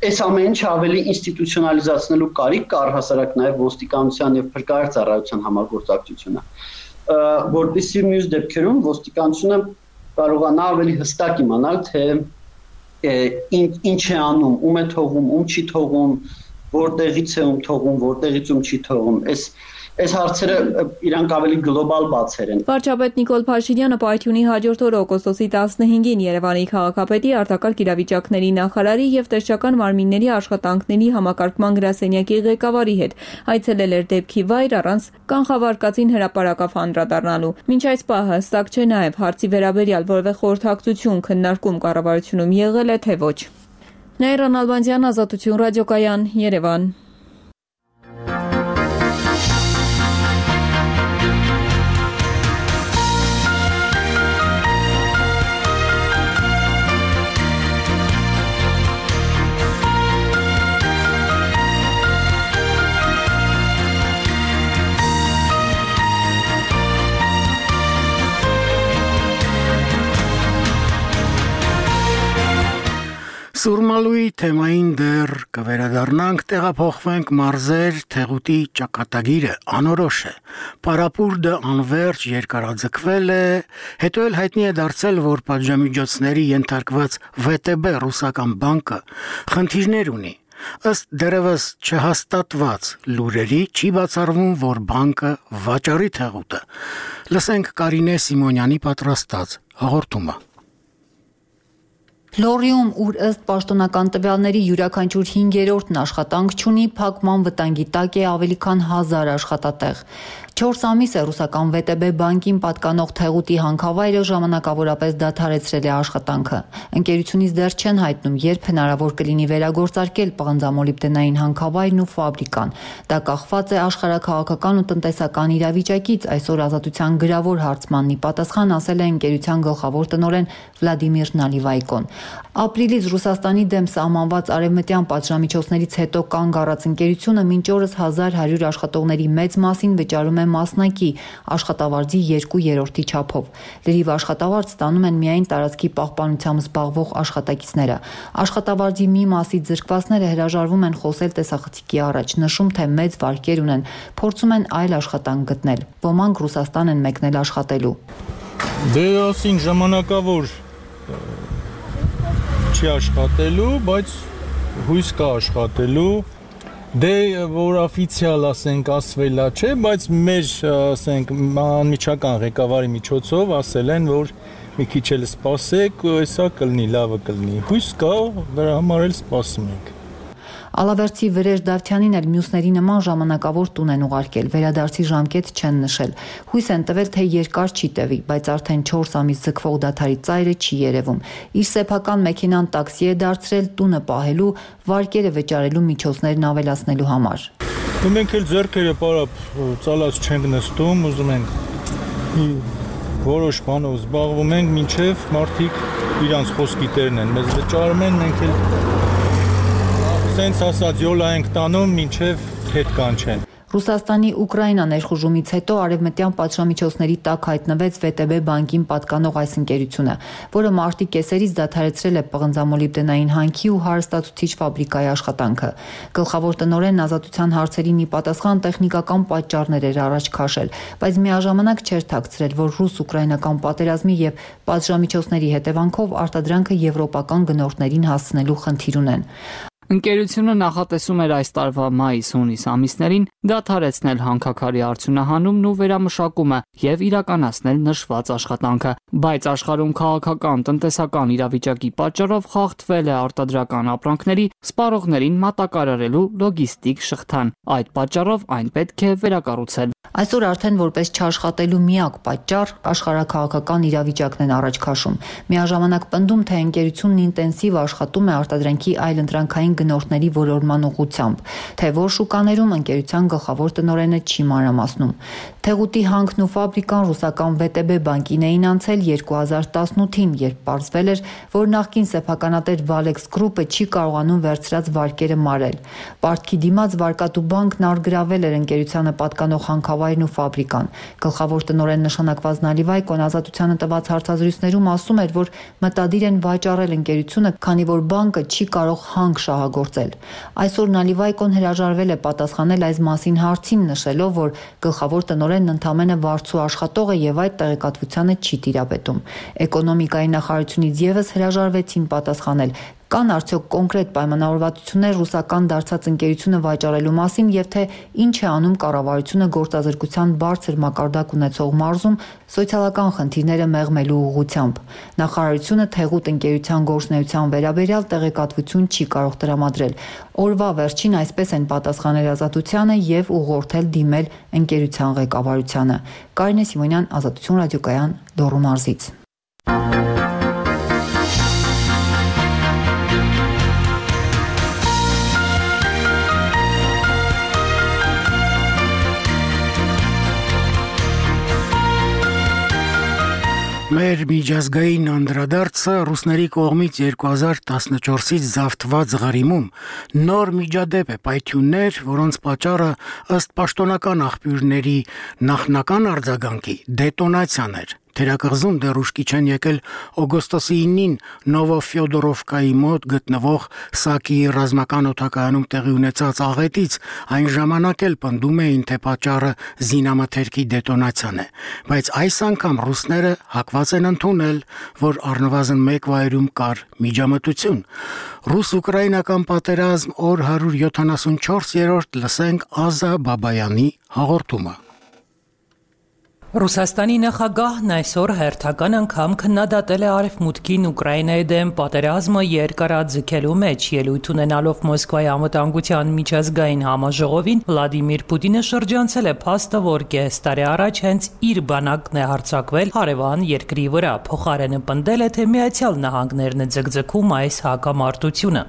այս ամեն ինչը ավելի ինստիտուցիոնալիզացնելու կարիք կա առհասարակ նաև ոստիկանության եւ փրկարար ծառայության համագործակցությունը, որտիսի մյուս դեպքերում ոստիկանությունը կարողանա ավելի հստակ իմանալ, թե ինչ է անում, ում է թողում, ում չի թողում, որտեղից է ում թողում, որտեղից ում չի թողում։ Այս հարցերը իրանք ավելի գլոբալ բացեր են։ Վարչապետ Նիկոլ Փաշինյանը պայթյունի հաջորդ օրը օգոստոսի 15-ին Երևանի քաղաքապետի, արտակարգ իրավիճակների նախարարի եւ տեսչական մարմինների աշխատանքների համակարգման գրասենյակի ղեկավարի հետ այցելել էր դեպքի վայր առանց կանխավարկածին հրապարակավ անդրադառնալու։ Մինչ այս պահը հստակ չէ նաեւ հարցի վերաբերյալ որևէ խորհրդակցություն քննարկում կառավարությունում եղել է թե ոչ։ Նաիրա Նալբանդյան, Ազատություն ռադիոկայան, Երևան։ Սուրմալուի թեմային դեռ կվերադառնանք, տեղափոխվենք մարզեր, թեղուտի ճակատագիրը անորոշ է։ Պարապուրդը անվերջ երկարաձգվել է, հետո էլ հայտնի է դարձել, որ պատժամիջոցների ենթարկված ՎՏԲ ռուսական բանկը խնդիրներ ունի։ Ըստ դեռևս չհաստատված լուրերի չի բացառվում, որ բանկը վաճառի թեղուտը։ Լսենք Կարինե Սիմոնյանի պատրաստած հաղորդումը։ Լորիում, ուր ըստ պաշտոնական տվյալների յուրաքանչյուր 5-րդն աշխատանք չունի, փակման վտանգի տակ է ավելի քան 1000 աշխատատեղ։ 4 ամիս է ռուսական ՎՏԲ բանկին պատկանող թեղուտի հանքավայրը ժամանակավորապես դադարեցրել է աշխատանքը։ Ընկերությունից դեռ չեն հայտնում, երբ հնարավոր կլինի վերագործարկել պղնձամոլիբդենային հանքավայրն ու ֆաբրիկան։ Դա կախված է աշխարհաքաղաքական ու տնտեսական իրավիճակից, այսօր Ազատության գրավոր հարցմաննի պատասխան ասել է ընկերության գլխավոր տնօրեն Վլադիմիր Նալիվայկոն։ Ապրիլից Ռուսաստանի դեմ սահմանված արևմտյան պատժամիջոցներից հետո կանգ առած ընկերությունը մինչ օրս 1100 աշխատողների մեծ մասին վճարում է մասնակի աշխատավարձի 2/3 չափով։ Լրիվ աշխատավարձ ստանում են միայն տարածքի պահպանությամբ զբաղվող աշխատակիցները։ Աշխատավարձի մի մասի զրկվածները հրաժարվում են խոսել տեսախցիկի առաջ, նշում, թե մեծ վարկեր ունեն, փորձում են այլ աշխատանք գտնել։ Ոմանք Ռուսաստան են մեկնել աշխատելու։ Դե ասին ժամանակավոր չի աշխատելու, բայց հույս կա աշխատելու։ Դե որ օֆիցիալ ասենք ասվելա չէ, բայց մեր ասենք անմիջական ղեկավարի միջոցով ասել են, որ մի քիչ էլ սպասեք, հեսա կլինի, լավը կլինի։ Հույս կա, դրա համար էլ սպասում ենք։ Ալավերցի Վրեժ Դավթյանին էլ մյուսների նման ժամանակավոր տուն են ուղարկել, վերադարձի ժամկետ չեն նշել։ Հույս են տվել, թե երկար չի տևի, բայց արդեն 4 ամիս ձգվող դադարի ծայրը չի երևում։ Իր սեփական մեքենան տաքսի է դարձրել տունը պահելու, վարկերը վճարելու միջոցներն ավելացնելու համար։ Մենք էլ ձեռքերը պարապ ծալած չենք նստում, ուզում ենք որոշ բանով զբաղվում ենք, մինչև մարդիկ իրանց խոսքի տերն են, մեզ վճարում են, մենք էլ սենց ասած յոլա ենք տանում մինչև հետ կանչեն։ Ռուսաստանի Ուկրաինա ներխուժումից հետո արևմտյան պատժամիջոցների տակ հայտնվեց VTB բանկին պատկանող այս ընկերությունը, որը մարտի կեսերից դադարեցրել է պղնձամոլիբդենային հանքի ու հարստացուցիչ ֆաբրիկայի աշխատանքը։ Գլխավոր տնօրենն ազատության հարցերին ի պատասխան տեխնիկական պատճառներ էր առաջ քաշել, բայց միաժամանակ չէր թաքցրել, որ ռուս-ուկրաինական պատերազմի եւ պատժամիջոցների հետևանքով արտադրանքը եվրոպական գնորդներին հասցնելու խնդիր ունեն։ Ընկերությունը նախատեսում էր այս տարվա մայիս-հունիս ամիսներին դադարեցնել հանքաքարի արդյունահանումն ու վերամշակումը եւ իրականացնել նշված աշխատանքը, բայց աշխարհում քաղաքական, տնտեսական իրավիճակի պատճառով խախտվել է արտադրական ապրանքների սպառողներին մատակարարելու լոգիստիկ շղթան։ Այդ պատճառով այն պետք է վերակառուցել։ Այսօր արդեն որպես չաշխատելու միակ պատճառ աշխարհաքաղաքական իրավիճակն են առաջ քաշում։ Միաժամանակ պնդում, թե ընկերությունն ինտենսիվ աշխատում է արտադրանքի այլընտրանքային գնորդների որորման ուղղությամբ, թե որ շուկաներում ընկերության գլխավոր տնօրենը չի մանրամասնում։ Թեղուտի հանքն ու ֆաբրիկան ռուսական VTB բանկին էին անցել 2018-ին, երբ պարզվել էր, որ նախկին սեփականատեր Valex Group-ը չի կարողանում վերցրած վարկերը մարել։ Պարտքի դիմաց Վարկատու բանկն արգրավել էր ընկերությանը պատկանող հանքավայրն ու ֆաբրիկան։ Գլխավոր տնօրեն նշանակված Նալիվայկոն ազատությանը տված հարցազրույցներում ասում էր, որ մտադիր են վաճառել ընկերությունը, քանի որ բանկը չի կարող հանք շահագործել։ Այսօր Նալիվայկոն հրաժարվել է պատասխանել այս մասին հարցին, նշելով, որ գլխավոր տնօրենն ընդամենը վարձու աշխատող է եւ այդ տեղեկատվությանը չի տիրապետում։ Էկոնոմիկայի նախարարությունից եւս հրաժարվեցին պատասխանել։ Կան արդյոք կոնկրետ պայմանավորվածություններ ռուսական դարձած ընկերությունը վաճառելու մասին եւ թե ինչ է անում կառավարությունը գործազրկության բարձր մակարդակ ունեցող մարզում սոցիալական խնդիրները մեղմելու ուղղությամբ։ Նախարարությունը թեղուտ ընկերության գործունեության վերաբերյալ տեղեկատվություն չի կարող տրամադրել։ Օրվա վերջին այսպես են պատասխանել Ազատությանը եւ ուղղորդել դիմել ընկերության ղեկավարությանը։ Կարինե Սիմոնյան, Ազատություն ռադիոկայան, Լոռու մարզից։ Մեր միջազգային անդրադարձը ռուսների կողմից 2014-ից զավթված Ղարիմում նոր միջադեպ է պայթյուններ, որոնց պատճառը ըստ պաշտոնական աղբյուրների նախնական արձագանքի դետոնացիան էր։ Թերակղզում դեռ ուշքի չեն եկել օգոստոսի 9-ին Նովոֆյոդորովկայի մոտ գտնվող Սակիի ռազմական օդակայանում տեղի ունեցած աղետից, այն ժամանակ էլ պնդում էին, թե պատճառը զինամթերքի դետոնացիան է, բայց այս անգամ ռուսները հակված են ընդունել, որ առնվազն մեկ վայրում կար միջամտություն։ Ռուս-ուկրաինական պատերազմ օր 174-րդ լսենք Ազա Բաբայանի հաղորդումը։ Ռուսաստանի նախագահն այսօր հերթական անգամ քննադատել է Արևմուտքին Ուկրաինայի դեմ պատերազմը երկարաձգելու մեջ, ելույթ ունենալով Մոսկվայի անվտանգության միջազգային համաժողովին, Վլադիմիր Պուտինը շրջանցել է փաստը, որ կես տարի առաջ հենց իր բանակն է հարձակվել հարևան երկրի վրա, փոխարենը պնդել է, թե Միացյալ Նահանգներն է ձգձգում այս հակամարտությունը։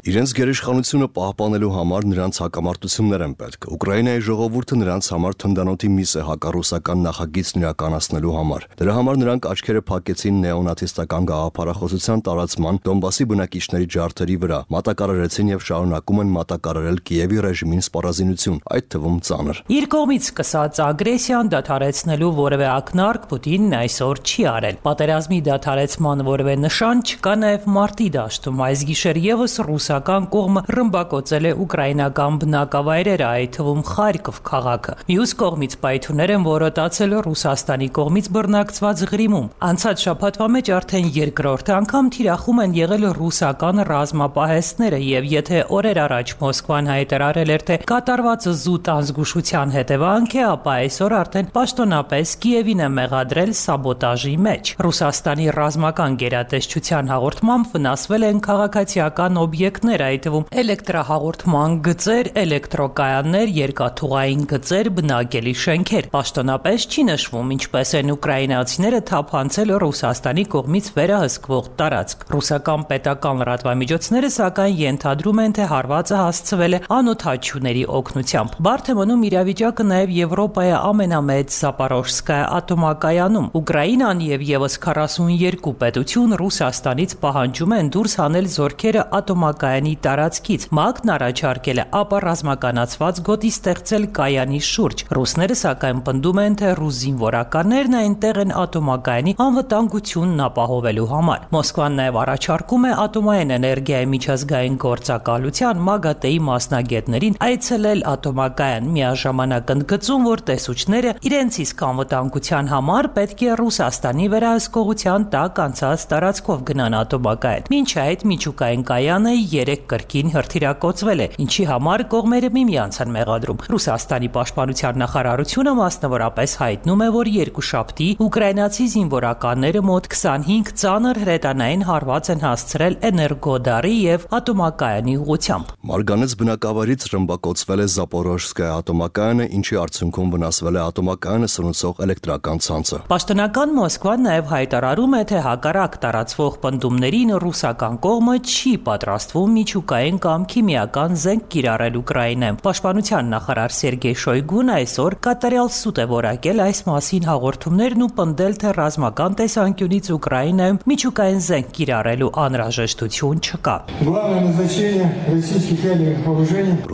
Իրենց գերիշխանությունը պահպանելու համար նրանց հակամարտություններ են պետք։ Ուկրաինայի ժողովուրդը նրանց համար թնդանոթի միս է հակառուսական նախագիծն իրականացնելու համար։ Դրա համար նրանք աչքերը փակեցին նեոնացիստական գաղափարախոսության տարածման Դոնբասի բնակիչների ջարդերի վրա, մատակարարեցին եւ շարունակում են մատակարարել Կիևի ռեժիմին սպառազինություն, այդ թվում ծանր։ Իր կողմից սկսած ագրեսիան դադարեցնելու որևէ ակնարկ Պուտինն այսօր չի արել։ Պատերազմի դադարեցման որևէ նշան չկա նաեւ մարտի դաշտում։ Այս գիշեր եւս ռուսական կողմը ռմբակոծել է ուկրաինական բնակավայրերը, այդ թվում Խարկով քաղաքը։ Մյուս կողմից պայթյուններ են որոտացել Ռուսաստանի կողմից բռնակցված Ղրիմում։ Անցած շաբաթվա մեջ արդեն երկրորդ անգամ թիրախում են եղել ռուսական ռազմապահեստները, եւ եթե օրեր առաջ Մոսկվան հայտարարել էր, թե կատարված զուտ անզգուշության հետևանք է, ապա այսօր արդեն պաշտոնապես Կիևին է մեղադրել սաբոտաժի մեջ։ Ռուսաստանի ռազմական գերատեսչության հաղորդմամբ վնասվել են քաղաքացիական օբյեկտներ, այդ թվում էլեկտրահաղորդման գծեր, էլեկտրոկայաններ, երկաթուղային գծեր, բնակելի շենքեր։ Պաշտոնապես չի նշվում, ինչպես են ուկրաինացիները թափանցել Ռուսաստանի կողմից վերահսկվող տարածք։ Ռուսական պետական լրատվամիջոցները սակայն ենթադրում են, թե հարվածը հասցվել է անօթաչուների օգնությամբ։ Բարդ է մնում իրավիճակը նաև Եվրոպայի ամենամեծ Զապորոժսկայ ատոմակայանում։ Ուկրաինան եւ եւս 42 պետություն Ռուսաստանից պահանջում են դուրս հանել զորքերը ատոմակայանի տարածքից։ ՄԱԿ-ն առաջարկել է ապառազմականացված գոտի ստեղծել կայանի շուրջ։ Ռուսները սակայն պնդում են, թե ռուս զինվորականներն այնտեղ են ատոմակայանի անվտանգությունն ապահովելու համար։ Մոսկվան նաև առաջարկում է ատոմային էներգիայի միջազգային գործակալության ՄԱԳԱՏԷ-ի մասնագետներին այցելել ատոմակայան, միաժամանակ ընդգծում, որ տեսուչները իրենց իսկ անվտանգության համար պետք է Ռուսաստանի վերահսկողության տակ անցած տարածքով գնան ատոմակայան։ Մինչ այդ միջուկային կայանը 3 կրկին հրթիռակոծվել է, ինչի համար կողմերը միմյանց են մեղադրում։ Ռուսաստանի պաշտպանության նախարարությունը մասնավորապես հայտնում է, որ երկուշաբթի ուկրաինացի զինվորականները մոտ 25 ծանր հրետանային հարված են հասցրել Էներգոդարի եւ ատոմակայանի ուղղությամբ։ Մարգանեց բնակավայրից ռմբակոծվել է Զապորոժսկայ ատոմակայանը, ինչի արդյունքում վնասվել է ատոմակայանը սնուցող էլեկտրական ցանցը։ Պաշտոնական Մոսկվան նաև հայտարարում է, թե հակառակ տարածվող պնդումներին ռուսական կողմը չի պատրաստվում միջուկային կամ քիմիական զենք կիրառել Ուկրաինայում։ Պաշտպանության նախարար Սերգեյ Շոյգուն այսօր կատարյալ սուտ է որակել այս մասին հաղորդումներն ու պնդել, թե ռազմական տեսանկյունից Ուկրաինայում միջուկային զենք կիրառելու անհրաժեշտություն չկա։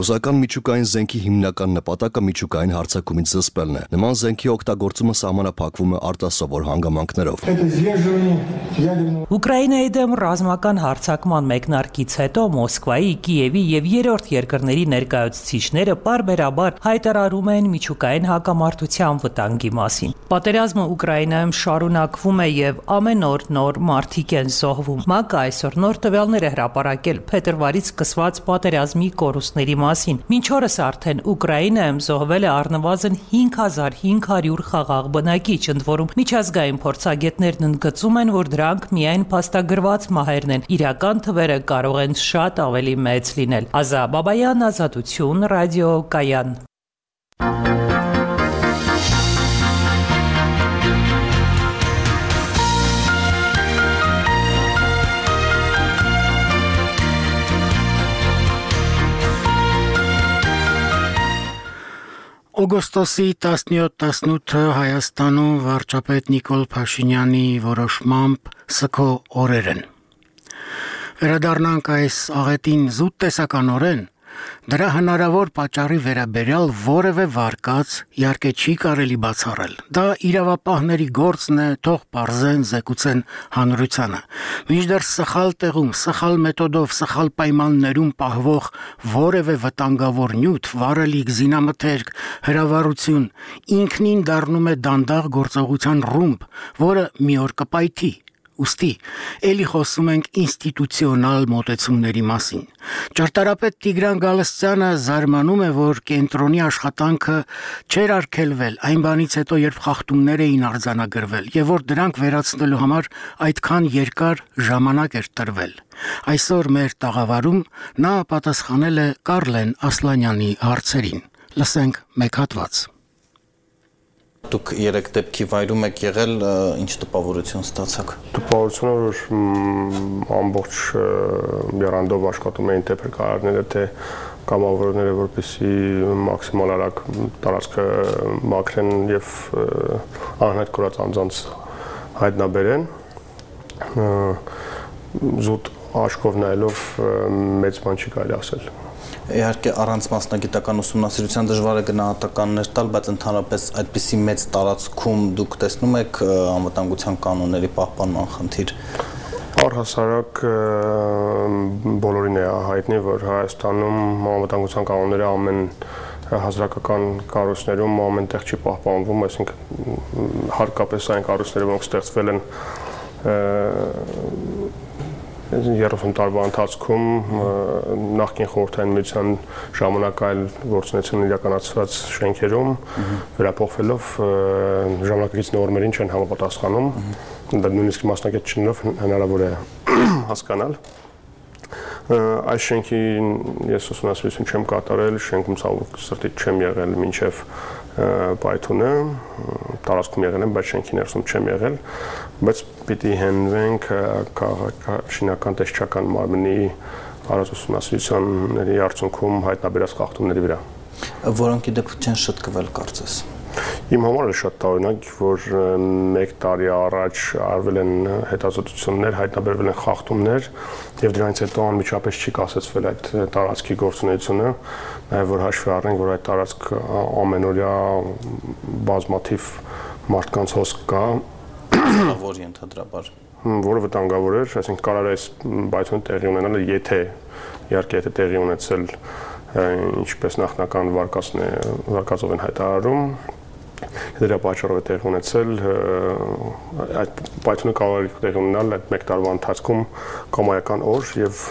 Ռուսական միջուկային զենքի հիմնական նպատակը միջուկային հարձակումից զսպելն է։ Նման զենքի օգտագործումը սահմանափակվում է արտասովոր հանգամանքներով։ Ուկրաինայի դեմ ռազմական հարձակման մեկնարկից հետո Մոսկվայի, Կիևի եւ երրորդ երկրների ներկայացուցիչները պարբերաբար հայտարարում են միջուկային հակամարտության վտանգի մասին։ Պատերազմը Ուկրաինայում շարունակվում է եւ ամեն օր նոր մարտիկ են զոհվում։ ՄԱԿ-ը այսօր նոր տվյալներ է հրապարակել փետրվարից սկսված պատերազմի կորուստների մասին։ Մինչ օրս արդեն Ուկրաինայում զոհվել է առնվազն 5500 խաղաղ բնակիչ, ընդ որում միջազգային փորձագետներն ընդգծում են, որ դրանք միայն փաստագրված մահերն են։ Իրական թվերը կարող են շատ ավելի մեծ լինել։ Ազա Բաբայան, Ազատություն, Ռադիո Կայան։ Օգոստոսի 17-18-ը Հայաստանում վարչապետ Նիկոլ Փաշինյանի որոշմամբ սգո օրեր են։ Վերադառնանք այս աղետին զուտ տեսականորեն, դրա հնարավոր պատճառի վերաբերյալ որևէ վարկած իհարկե չի կարելի բացառել։ Դա իրավապահների գործն է, թող պարզեն, զեկուցեն հանրությանը։ Մինչդեռ սխալ տեղում, սխալ մեթոդով, սխալ պայմաններում պահվող որևէ վտանգավոր նյութ, վարելիք, զինամթերք, հրավառություն ինքնին դառնում է դանդաղ գործողության ռումբ, որը մի օր կպայթի։ Ուստի էլի խոսում ենք ինստիտուցիոնալ մոտեցումների մասին։ Ճարտարապետ Տիգրան Գալստյանը զարմանում է, որ կենտրոնի աշխատանքը չէր արգելվել այն բանից հետո, երբ խախտումներ էին արձանագրվել, եւ որ դրանք վերացնելու համար այդքան երկար ժամանակ էր տրվել։ Այսօր մեր տաղավարում նա պատասխանել է Կարլեն Ասլանյանի հարցերին։ Լսենք մեկ հատված։ Դուք 3 դեպքի վայրում եք եղել, ինչ տպավորություն ստացաք։ Տպավորությունը, որ ամբողջ եռանդով աշխատում էին թե փրկարարները, թե կամավորները, որպեսզի մաքսիմալ արագ տարածքը մաքրեն եւ անհայտ կորած անձանց հայտնաբերեն։ Զուտ աչքով նայելով մեծ բան չի կարելի ասել։ Իհարկե առանց մասնագիտական ուսումնասիրության դժվար է գնահատականներ տալ, բայց ընդհանրապես այդպիսի մեծ տարածքում դուք տեսնում եք անվտանգության կանոնների պահպանման խնդիր։ Առհասարակ բոլորին է հայտնի, որ Հայաստանում անվտանգության կանոնները ամեն հասարակական կառույցներում ամենտեղ չի պահպանվում, այսինքն հարկապես այն կառույցները, որոնք ստեղծվել են 30 տարվա ընթացքում նախկին խորհրդային միության ժամանակ այլ գործունեություն իրականացված շենքերում վերափոխվելով ժամանակակից նորմերին չեն համապատասխանում, դա նույնիսկ մասնագետ չնելով հնարավոր է հասկանալ։ Այս շենքին ես ուսումնասիրություն չեմ կատարել, շենքում ցավոք սրտի չեմ եղել մինչև պայթունը, տարածքում եղել են, բայց շենքի ներսում չեմ եղել, բայց պիտի հենվենք քաղաքաշինական տեսչական մարմնի առանց ուսումնասիրությունների արդյունքում հայտնաբերած խախտումների վրա։ Որոնք ի դեպ չեն շտկվել կարծես։ Իմ համար է շատ տարօրինակ, որ 1 տարի առաջ արվել են հետազոտություններ, հայտնաբերվել են խախտումներ եւ դրանից հետո անմիջապես չի կասեցվել այդ տարածքի գործունեությունը, նաեւ որ հաշվի առնենք, որ այդ տարածք ամենօրյա բազմաթիվ մարդկանց հոսք կա, որ ընդհանրաբար որը վտանգավոր էր, այսինքն կարող է այս պայթյունը տեղի ունենալ, եթե իհարկե տեղի ունեցել ինչպես նախնական վարկածով են հայտարարում, դրա պատճառով է տեղի ունեցել, այդ պայթյունը կարող է տեղի ունենալ այդ 1 տարվա ընթացքում կամայական օր եւ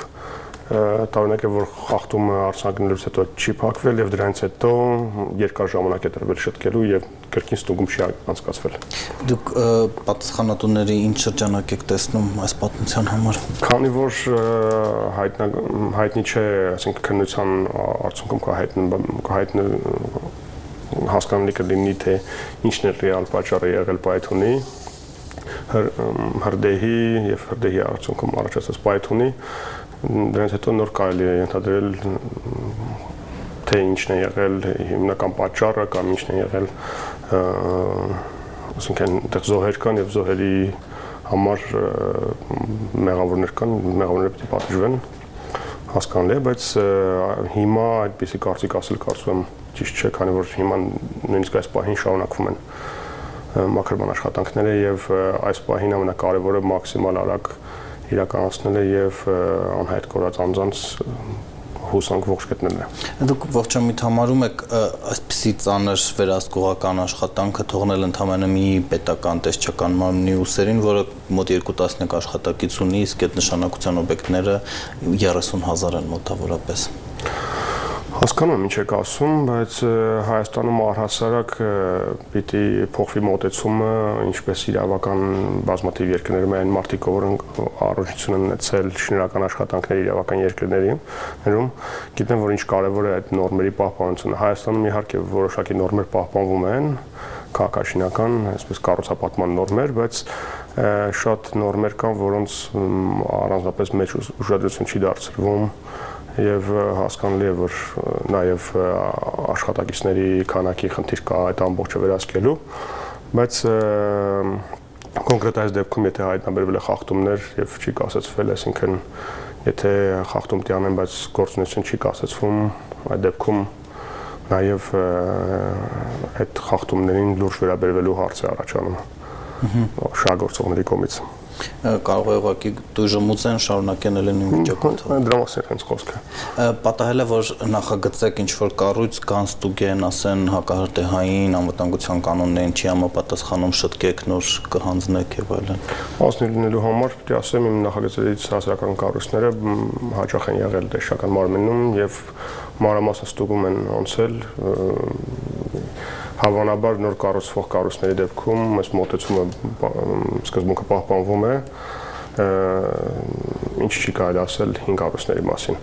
տարօրինակ է, որ խախտումը արձանագրելուց հետո չի փակվել եւ դրանից հետո երկար ժամանակ է տրվել շտկելու եւ կրկին ստուգում չի անցկացվել։ Դուք պատասխանատուների ինչ շրջանակ եք տեսնում այս պատմության համար։ Քանի որ հայտնի չէ, այսինքն քննության արդյունքում կհայտնի հասկանալի կլինի, թե ինչն է ռեալ պատճառը եղել պայթյունի, հրդեհի եւ հրդեհի արդյունքում առաջացած պայթյունի, դրանից հետո նոր կարելի է ենթադրել, թե ինչն է եղել հիմնական պատճառը կամ ինչն է եղել, այսինքն այդտեղ զոհեր կան եւ զոհերի համար մեղավորներ կան, մեղավորները պետք է պատժվեն, հասկանալի է, բայց հիմա այդպիսի կարծիք ասել կարծում եմ ճիշտ չէ, քանի որ հիմա նույնիսկ այս պահին շարունակվում են մաքրման աշխատանքները եւ այս պահին ամենակարևորը մաքսիմալ արագ իրականացնելը եւ անհայտ կորած անձանց հուսանք ողջ գտնելն է։ Դուք ողջամիտ համարում եք այսպիսի ծանր վերահսկողական աշխատանքը թողնել ընդհանրապես մի պետական տեսչական մարմնի ուսերին, որը մոտ 2 տասնյակ աշխատակից ունի, իսկ այդ նշանակության օբյեկտները 30,000 են մոտավորապես։ Հասկանում եմ ինչ եք ասում, բայց Հայաստանում առհասարակ պիտի փոխվի մոտեցումը, ինչպես իրավական բազմաթիվ երկրներում այն մարդիկ, որոնք առողջություն են ունեցել շինարական աշխատանքների իրավական երկրներում, գիտեն, որ ինչ կարևոր է այդ նորմերի պահպանությունը։ Հայաստանում իհարկե որոշակի նորմեր պահպանվում են, քաղաքաշինական, այսպես կառուցապատման նորմեր, բայց շատ նորմեր կան, որոնց առանձնապես մեծ ուշադրություն չի դարձվում եւ հասկանալի է, որ նաեւ աշխատակիցների քանակի խնդիր կա այդ ամբողջը վերահսկելու, բայց կոնկրետ այս դեպքում եթե հայտնաբերվել է խախտումներ եւ չի կասեցվել, այսինքն եթե խախտում տյանեն, բայց գործունեություն չի կասեցվում, այդ դեպքում նաեւ այդ խախտումներին լուրջ վերաբերվելու հարց է առաջանում շահգործողների կողմից։ Կարող է ուղղակի դժմուցեն շարունակեն նույն վիճակում։ Դրա մասին հենց խոսքը։ Պատահել է, որ նախագծեք ինչ-որ կառույց կանստուգեն, ասեն հակահրդեհային անվտանգության կանոններին չի համապատասխանում, շտկեք, նոր կհանձնեք եւ այլն։ Ասնի լինելու համար պետք է ասեմ, իմ նախագծերից հասարակական կառույցները հաճախ են եղել տեսչական մարմնում եւ մանրամասն ստուգում են անցել Հավանաբար նոր կառուցվող կառույցների դեպքում այս մոտեցումը սկզբունքը պահպանվում է, ինչ չի կարելի ասել 5 կառույցների մասին։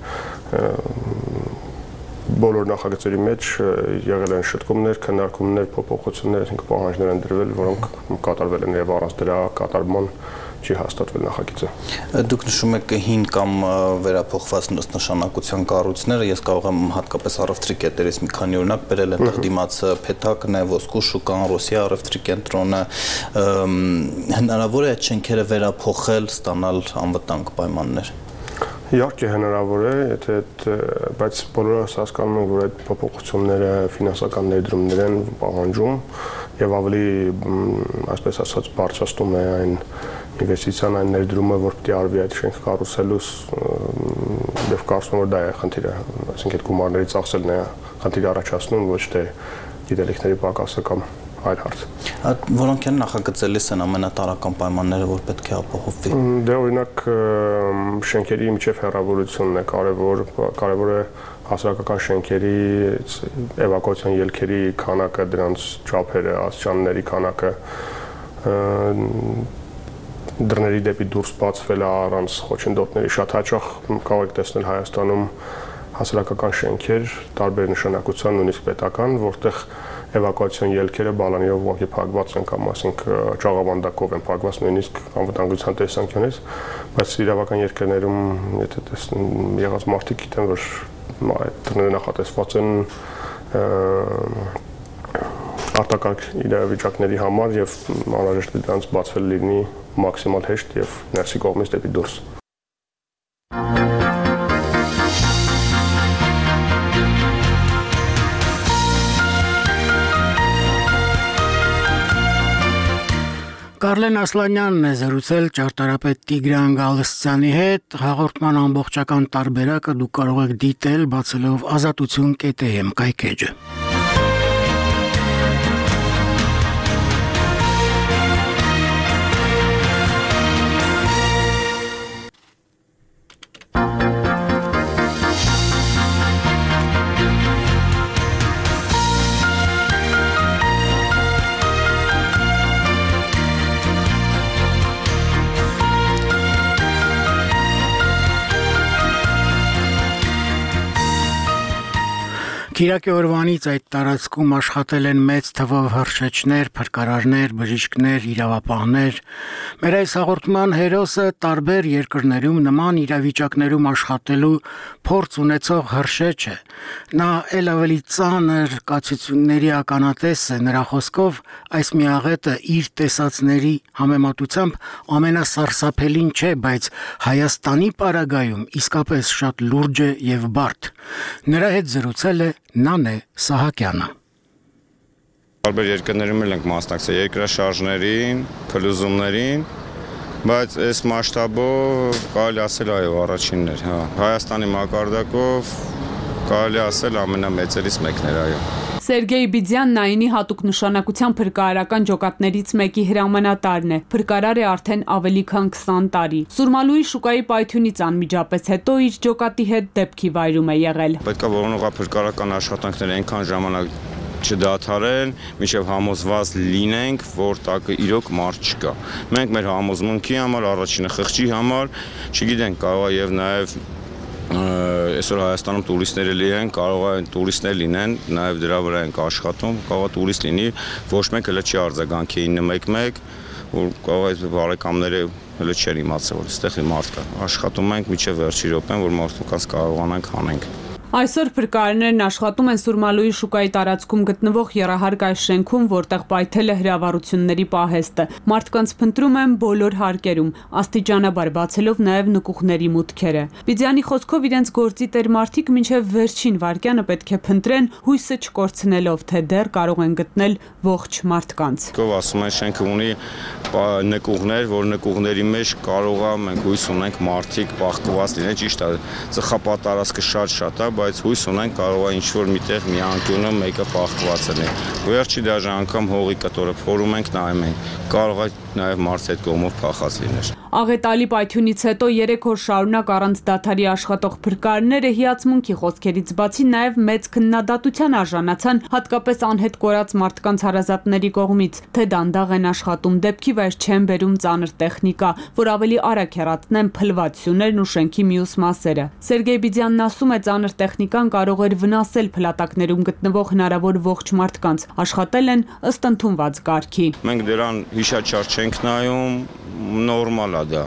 Բոլոր նախագծերի մեջ եղել են շտկումներ, քննարկումներ, փոփոխություններ, այսինքն պահանջներ են դրվել, որոնք կատարվել են եւ առանց դրա կատարման չի հաստատվել նախագիծը։ Դուք նշում եք հին կամ վերափոխված նշանակության կառույցները, ես կարող եմ հատկապես առևտրի կետերից մի քանի օրինակ բերել, այնտեղ դիմացը Փեթակն է, Ոսկու շուկան, Ռոսիա առևտրի կենտրոնը, հնարավոր է այդ շենքերը վերափոխել, ստանալ անվտանգ պայմաններ։ Իհարկե հնարավոր է, բայց բոլորս հասկանում ենք, որ այդ փոփոխությունները ֆինանսական ներդրումներ են պահանջում եւ ավելի, այսպես ասած, բարձրացնում է այն ինվեստիցիան, այն ներդրումը, որ պետք է արվի այդ շենք կառուցելուց եւ կարծում եմ, որ դա է խնդիրը, այսինքն այդ գումարների ծախսելն է խնդիրը առաջացնում, ոչ թե գիտելիքների պակասը կամ այլ հարց։ Որոնք են նախագծելիս են ամենատարրական պայմանները, որ պետք է ապահովվի։ Դե օրինակ շենքերի միջև հեռավորությունն է կարևոր է հասարակական շենքերի էվակուացիոն ելքերի քանակը, դրանց չափերը, աստիճանների քանակը, դռների դեպի դուրս բացվելը առանց խոչընդոտների, շատ հաճախ կարող եք տեսնել Հայաստանում հասարակական շենքեր, տարբեր նշանակության, նույնիսկ պետական, որտեղ էվակուացիոն ելքերը բալանիով ուղղակի փակված են կամ այսինքն ճաղավանդակով են փակված նույնիսկ անվտանգության տեսանկյունից, բայց իրավական երկրներում եթե տեսնեն եղած մարդիկ գիտեն որ այդ տները նախատեսված են արտակարգ իրավիճակների համար եւ անհրաժեշտ է դրանց բացվել լինի մաքսիմալ հեշտ եւ ներսի կողմից դեպի դուրս։ Կարլեն Ասլանյանն է զրուցել ճարտարապետ Տիգրան Գալստյանի հետ, հաղորդման ամբողջական տարբերակը դուք կարող եք դիտել բացելով azatutsun.am կայքեջը։ Կիրակի օրվանից այդ տարածքում աշխատել են մեծ թվով հրշեջներ, փրկարարներ, բժիշկներ, իրավապահներ։ Մեր այս հաղորդման հերոսը տարբեր երկրներում նման իրավիճակներում աշխատելու փորձ ունեցող հրշեջ է։ Նա ել ավելի ծանր կացությունների ականատես է, նրա խոսքով այս միաղետը իր տեսածների համեմատությամբ ամենասարսափելին չէ, բայց Հայաստանի պարագայում իսկապես շատ լուրջ է եւ բարդ։ Նրա հետ զրուցել է Նանե Սահակյանը։ Տարբեր երկրներում ենք մասնակցել երկրաշարժներին, փլուզումներին, բայց այս մասշտաբով կարելի ասել այո, առաջինն էր, հա։ Հայաստանի մակարդակով կարելի ասել ամենամեծերից մեկն էր, այո։ Սերգեյ Բիդյանն այնի հատուկ նշանակության փրկարարական ջոկատներից մեկի հրամանատարն է։ Փրկարար է արդեն ավելի քան 20 տարի։ Սուրմալուի շուկայի պայթյունից անմիջապես հետո իր ջոկատի հետ դեպքի վայրում է եղել։ Պետք է որոնողափրկարական աշխատանքները այնքան ժամանակ չդադարեն, մինչև համոզված լինենք, որ տակը իրոք մարդ չկա։ Մենք մեր համոզմունքի համար, առաջինը խղճի համար, չգիտենք, կարող է եւ նաեւ այսօր Հայաստանում տուրիստներ էլի են, կարող է տուրիստներ լինեն, նաև դրա վրա ենք աշխատում, կարող է տուրիստ լինի, ոչ մեկ հələ չի արձագանքի 911, որ կարող է բարեկամները հələ չեն իմացել, որ այստեղ մարդ կա։ Աշխատում ենք մինչև վերջի րոպեն, որ մարդկանց կարողանանք հանենք։ Այսօր փրկարարներն աշխատում են Սուրմալուի շուկայի տարածքում գտնվող եռահարկ այս շենքում, որտեղ պայթել է հրավառությունների պահեստը։ Մարդկանց փնտրում են բոլոր հարկերում, աստիճանաբար բացելով նաև նկուղների մուտքերը։ Բիդյանի խոսքով իրենց գործի տեր մարդիկ մինչև վերջին վայրկյանը պետք է փնտրեն, հույսը չկորցնելով, թե դեռ կարող են գտնել ողջ մարդկանց։ Ով ասում են շենքը ունի նկուղներ, որ նկուղների մեջ կարող է մենք հույս ունենք մարդիկ բախկված լինեն, ճիշտ է, ծխապատարածքը շատ է, բայց հույս ունենք կարող է ինչ-որ միտեղ մի անկյունը մեկը բախկված լինի։ Վերջի դաժե անգամ հողի կտորը փորում ենք, նայում ենք, կարող է նաև մարդը այդ կողմով փախած լիներ։ Աղետալի պայթյունից հետո 3 օր շարունակ առանց դադարի աշխատող փրկարարները հիացմունքի խոսքերից բացի նաև մեծ քննադատության արժանացան հատկապես անհետ կորած մարդկանց հարազատների կողմից, թե դանդաղ են աշխատում, դեպքի վայր չեն բերում ծանր տեխնիկա, որ ավելի արագ հեռացնեն փլվածություններն ու շենքի մյուս մասերը։ Սերգեյ Բիդյանն ասում է, ծանր տեխնիկան կարող էր վնասել փլատակներում գտնվող հնարավոր ողջ մարդկանց, աշխատել են ըստ ընդունված կարգի։ Մենք դրան հիշաչար չենք նայում, նորմալ է դա։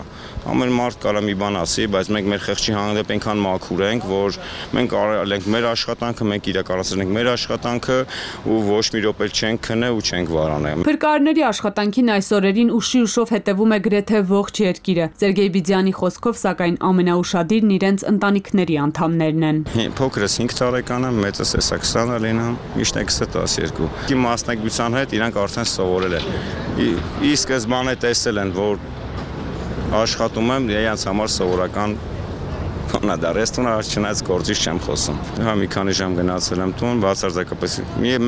Ամեն մարդ կարա մի բան ասի, բայց մենք մեր խեղճի հանդեպ այնքան մաքուր ենք, որ մենք արել ենք մեր աշխատանքը, մենք իրականացրել ենք մեր աշխատանքը ու ոչ մի րոպե չենք քնե ու չենք վարանել։ Փրկարարների աշխատանքին այս օրերին ուշի ուշով հետևում է գրեթե ողջ երկիրը։ Սերգեյ Բիդյանի խոսքով, սակայն ամենաուշադիրն իրենց ընտանիքների անդամներն են։ Փոքրս 5 տարեկան է, մեծս էսա 20 լինում, միշտ 12։ Իմ մասնակցության հետ իրանք արդեն սովորել են։ Ի սկզբանե տեսել են, որ աշխատում եմ, իրենց համար սովորական բան է դա, ռեստորան չնայած գործից չեմ խոսում։ Հա մի քանի ժամ գնացել եմ տուն, բացարձակապես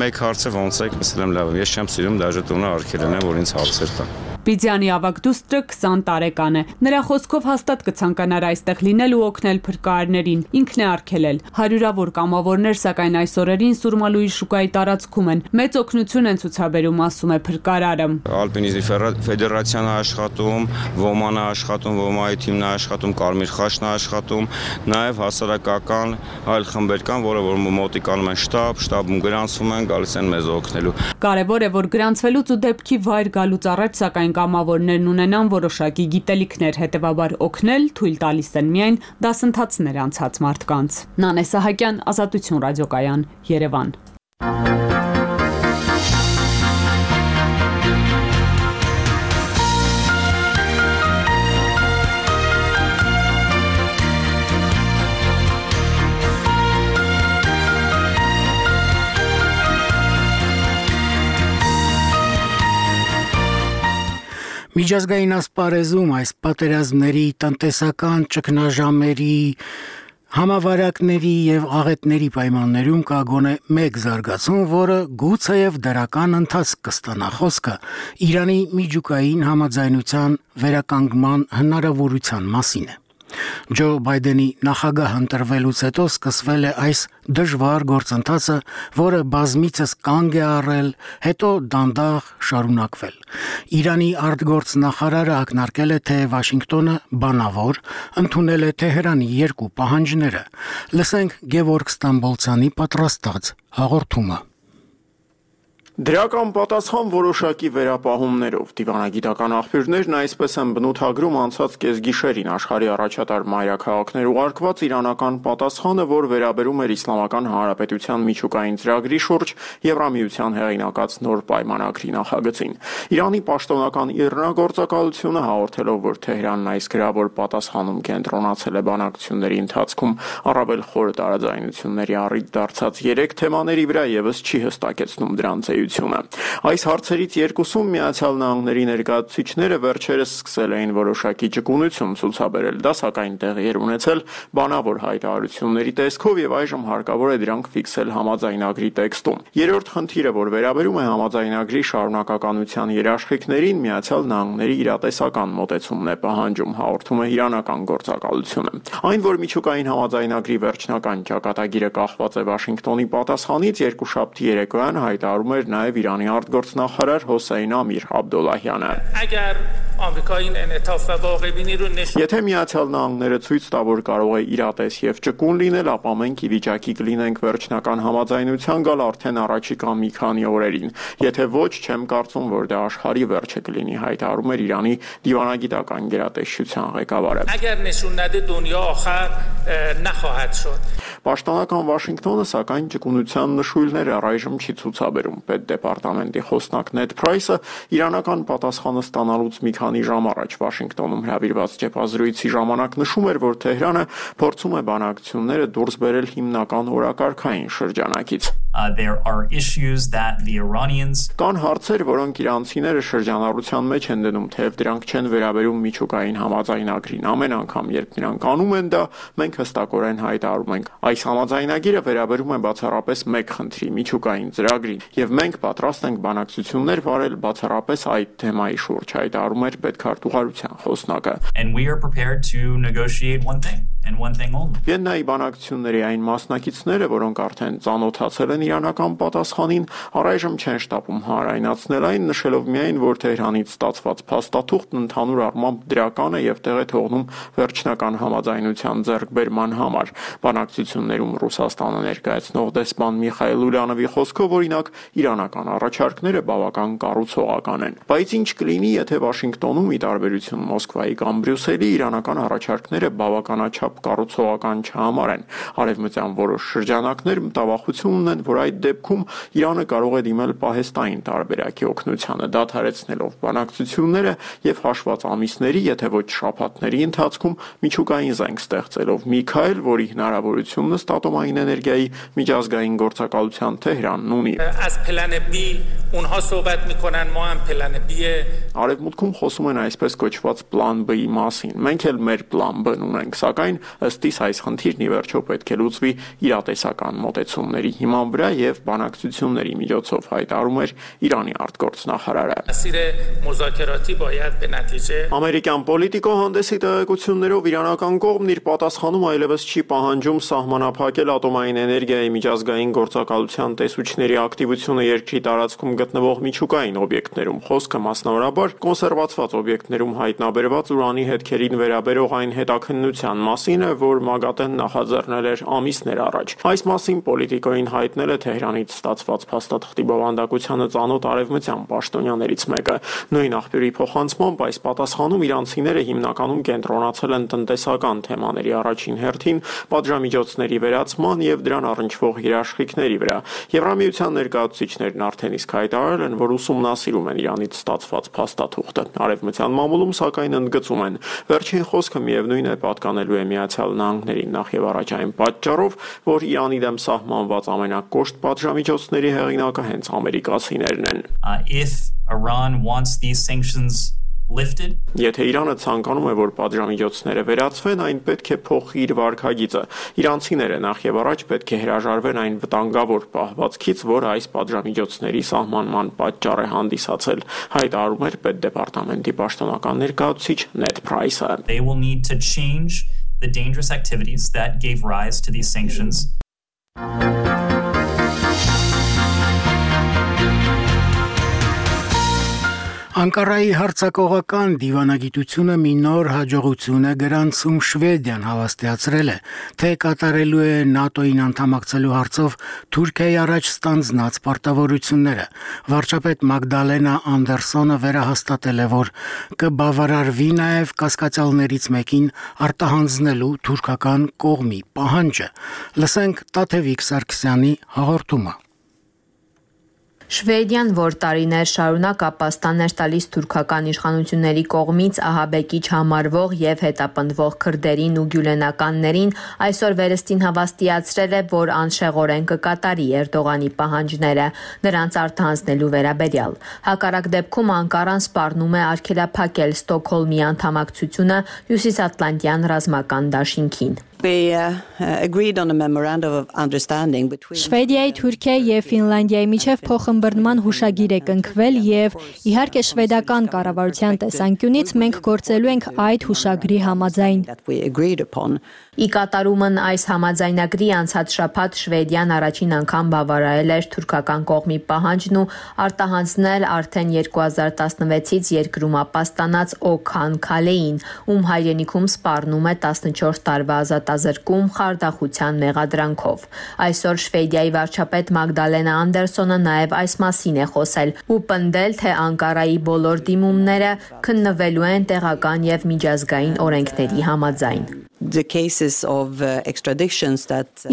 մեկ հարցը ոնց է, ասել եմ լավ, ես չեմ սիրում դաժե տունը արգելել են, որ ինձ հարցեր տա։ Բիձյանի ավագ դուստրը 20 տարեկան է։ Նրա խոսքով հաստատ կցանկանար այստեղ լինել ու օգնել փրկարարներին։ Ինքն է արգելել։ Հարյուրավոր կամավորներ սակայն այս օրերին Սուրմալուի շուկայի տարածքում են։ Մեծ օգնություն են ցուցաբերում, ասում է փրկարարը։ Ալպինիզմի ֆեդերացիան է աշխատում, ոման է աշխատում, ոմայի թիմն է աշխատում, Կարմիր խաչն է աշխատում, նաև հասարակական այլ խմբեր կան, որը մոտիկ անում են շտաբում գրանցվում են, գալիս են մեզ օգնելու։ Կարևոր է, որ գրանցվելուց ու դեպքի վայր գալուց առաջ սակայն կամավորներն ունենան որոշակի գիտելիքներ, հետևաբար օգնել թույլ տալիս են միայն դասընթացներ անցած մարդկանց։ Նանե Սահակյան, Ազատություն ռադիոկայան, Երևան։ Միջազգային ասպարեզում այս պատերազմների, տնտեսական ճգնաժամերի, համավարակների եւ աղետների պայմաններում կա գոնե մեկ զարգացում, որը գուցեև դրական ընթացք կստանա խոսքը Իրանի միջուկային համաձայնության վերականգնման հնարավորության մասին է։ Ջո Բայդենի նախագահ ընտրվելուց հետո սկսվել է այս դժվար գործընթացը, որը բազմիցս կանգ է առել, հետո դանդաղ շարունակվել։ Իրանի արտգործնախարարը ակնարկել է, թե Վաշինգտոնը բանավոր ընդունել է Թեհրանի երկու պահանջները։ Լսենք Գևորգ Ստամբոլցյանի պատրաստած հաղորդումը։ Դրական պատասխան որոշակի վերապահումներով դիվանագիտական աղբյուրներն այսպես են բնութագրում անցած կեսգիշերին աշխարհի առաջատար մայրաքաղաքներ ուղարկված իրանական պատասխանը, որ վերաբերում էր Իսլամական Հանրապետության միջուկային ծրագրի շուրջ Եվրամիության հեղինակած նոր պայմանագրի նախագծին։ Իրանի պաշտոնական իռնագործակալությունը հաղորդելով, որ Թեհրանն այս գրավոր պատասխանում կենտրոնացել է բանակցությունների ընթացքում առավել խոր տարաձայնությունների առիթ դարձած 3 թեմաների վրա եւս չի հստակեցնում դրանց Այս հարցերից երկուսում Միացյալ Նահանգների ներկայացուցիչները վերջերս սկսել էին որոշակի ճկունություն ցուցաբերել, դա սակայն տեղի էր ունեցել բանավոր հայտարարությունների տեսքով եւ այժմ հարկավոր է դրանք ֆիքսել համաձայնագրի տեքստում։ Երրորդ խնդիրը, որ վերաբերում է համաձայնագրի շարունակականության երաշխիքներին, Միացյալ Նահանգների իրատեսական մոտեցումն է պահանջում, հաղորդում է իրանական գործակալությունը։ Այն, որ միջուկային համաձայնագրի վերջնական ճակատագիրը կախված է Վաշինգտոնի պատասխանից, երկուշաբթի երեկոյան հայտարարում էր նաև Իրանի արտգործնախարար Հոսեյն Ամիր Աբդոլլահյանը։ Եթե Միացյալ Նահանգները ցույց տա, որ կարող է իրատես եւ ճկուն լինել, ապա մենք ի վիճակի կլինենք վերջնական համաձայնության գալ արդեն առաջիկա մի քանի օրերին։ Եթե ոչ, չեմ կարծում, որ դա աշխարհի վերջը կլինի, հայտարարում էր Իրանի դիվանագիտական գերատեսչության ղեկավարը։ Պաշտոնական Վաշինգտոնը սակայն ճկունության նշույլներ առայժմ չի ցուցաբերում։ Պետդեպարտամենտի խոսնակ Նեդ Փրայսը իրանական պատասխանը ստանալուց մի քանի ժամ առաջ Վաշինգտոնում հրավիրված ճեպազրույցի ժամանակ նշում էր, որ Թեհրանը փորձում է բանակցությունները դուրս բերել հիմնական օրակարգային շրջանակից։ Կան հարցեր, որոնք իրանցիները շրջանառության մեջ են դնում, թեև դրանք չեն վերաբերում միջուկային համաձայնագրին։ Ամեն անգամ, երբ նրանք անում են դա, մենք հստակորեն հայտարարում ենք։ Այս համաձայնագիրը վերաբերում է բացառապես մեկ խնդրի՝ միջուկային ծրագրին, եւ մենք պատրաստ ենք բանակցություններ վարել բացառապես այդ թեմայի շուրջ, հայտարարում էր պետքարտուղարության խոսնակը։ Վիեննայի բանակցությունների այն մասնակիցները, որոնք արդեն ծանոթացել են իրանական պատասխանին, առայժմ չեն շտապում հանրայնացնել այն, նշելով միայն, որ Թեհրանից ստացված փաստաթուղթն ընդհանուր առմամբ դրական է եւ տեղ է թողնում վերջնական համաձայնության ձեռքբերման համար։ Բանակցություններում Ռուսաստանը ներկայացնող դեսպան Միխայել Ուլյանովի խոսքով, օրինակ, իրանական առաջարկները բավական կառուցողական են։ Բայց ինչ կլինի, եթե Վաշինգտոնում, ի տարբերություն Մոսկվայի կամ Բրյուսելի, իրանական առաջարկները բավականաչափ կառուցողական չհամարեն։ Արևմտյան որոշ շրջանակներ մտավախություն ունեն, որ այդ դեպքում Իրանը կարող է դիմել պահեստային տարբերակի օգնությանը, դադարեցնելով բանակցությունները եւ հաշված ամիսների, եթե ոչ շաբաթների ընթացքում միջուկային զենք ստեղծելով Միքայել, որի հնարավորությունն ըստ ատոմային էներգիայի միջազգային գործակալության Թեհրանն ունի։ Արևմուտքում խոսում են այսպես կոչված պլան B-ի մասին։ Մենք էլ մեր պլան B-ն ունենք, սակայն ըստ իս այս խնդիրն ի վերջո պետք է լուծվի իրատեսական մոտեցումների հիման վրա եւ բանակցությունների միջոցով, հայտարարում էր Իրանի արտգործնախարարը։ Ամերիկյան պոլիտիկո հանդեսի տեղեկություններով իրանական կողմն իր պատասխանում այլևս չի պահանջում սահմանափակել ատոմային էներգիայի միջազգային գործակալության տեսուչների ակտիվությունը երկրի տարածքում գտնվող միջուկային օբյեկտներում։ Խոսքը մասնավորաբար կոնսերվացված օբյեկտներում հայտնաբերված ուրանի հետքերին վերաբերող այն հետաքննության մասին է, որ ՄԱԳԱՏԷ-ն նախաձեռնել էր ամիսներ առաջ։ Այս մասին պոլիտիկոին հայտնել է Թեհրանից ստացված փաստաթղթի բովանդակությանը ծանոթ արևմտյան պաշտոնյաներից մեկը։ Նույն աղբյուրի փոխանցմամբ այս պատասխանում իրանցիները հիմնականում կենտրոնացել են տնտեսական թեմաների առաջին հերթին, պատժամիջոցների վերացման եւ դրան առնչվող երաշխիքների վրա։ Եվրամիության ներկայացուցիչներն արդեն իսկ հայտարարել են, որ ուսումնասիրում են Իրանից ստացված փաստաթուղթը։ Արևմտյան մամուլում սակայն ընդգծում են, վերջին խոսքը միևնույն է պատկանելու է Միացյալ Նահանգներին նախ եւ առաջ այն պատճառով, որ Իրանի դեմ սահմանված ամենակոշտ պատժամիջոցների հեղինակը հենց ամերիկացիներն են։ Եթե Իրանը ցանկանում է, որ պատժամիջոցները վերացվեն, այն պետք է փոխի իր վարքագիծը։ Իրանցիները նախ եւ առաջ պետք է հրաժարվեն այն վտանգավոր պահվածքից, որ այս պատժամիջոցների սահմանման պատճառ է հանդիսացել, հայտարարում էր Պետդեպարտամենտի պաշտոնական ներկայացուցիչ Նեդ Փրայսը։ They will need to change the dangerous activities that gave rise to these sanctions. Անկարայի հարցակողական դիվանագիտությունը մի նոր հաջողություն է գրանցում Շվեդիան հավաստիացրել է, թե կատարելու է ՆԱՏՕ-ին անդամակցելու հարցով Թուրքիայի առաջ ստանձնած պարտավորությունները։ Վարչապետ Մագդալենա Անդերսոնը վերահաստատել է, որ կբավարարվի նաև կասկածյալներից մեկին արտահանձնելու թուրքական կողմի պահանջը։ Լսենք Տաթևիկ Սարգսյանի հաղորդումը։ Շվեդիան, որ տարիներ շարունակ ապաստան էր տալիս թուրքական իշխանությունների կողմից ահաբեկիչ համարվող եւ հետապնդվող քրդերին ու գյուլենականներին, այսօր վերստին հավաստիացրել է, որ անշեղորեն կկատարի Էրդողանի պահանջները նրանց արտահանձնելու վերաբերյալ։ Հակառակ դեպքում Անկարան սպառնում է արգելափակել Ստոկհոլմի անդամակցությունը Հյուսիսատլանտյան ռազմական դաշինքին։ Շվեդիայի, Թուրքիայի եւ Ֆինլանդիայի միջև փոխըմբռնման հուշագիր է կնքվել եւ իհարկե շվեդական կառավարության տեսանկյունից մենք գործելու ենք այդ հուշագրի համաձայն։ Ի կատարումն այս համաձայնագրի անցած շաբաթ Շվեդիան առաջին անգամ բավարարել էր թուրքական կողմի պահանջն ու արտահանձնել արդեն 2016-ից երկրում ապաստանած Օքան Քալեին, ում հայրենիքում սպառնում է 14 տարվա ազատազրկում խարդախության մեղադրանքով։ Այսօր Շվեդիայի վարչապետ Մագդալենա Անդերսոնը նաև այս մասին է խոսել ու պնդել, թե Անկարայի բոլոր դիմումները քննվելու են տեղական եւ միջազգային օրենքների համաձայն։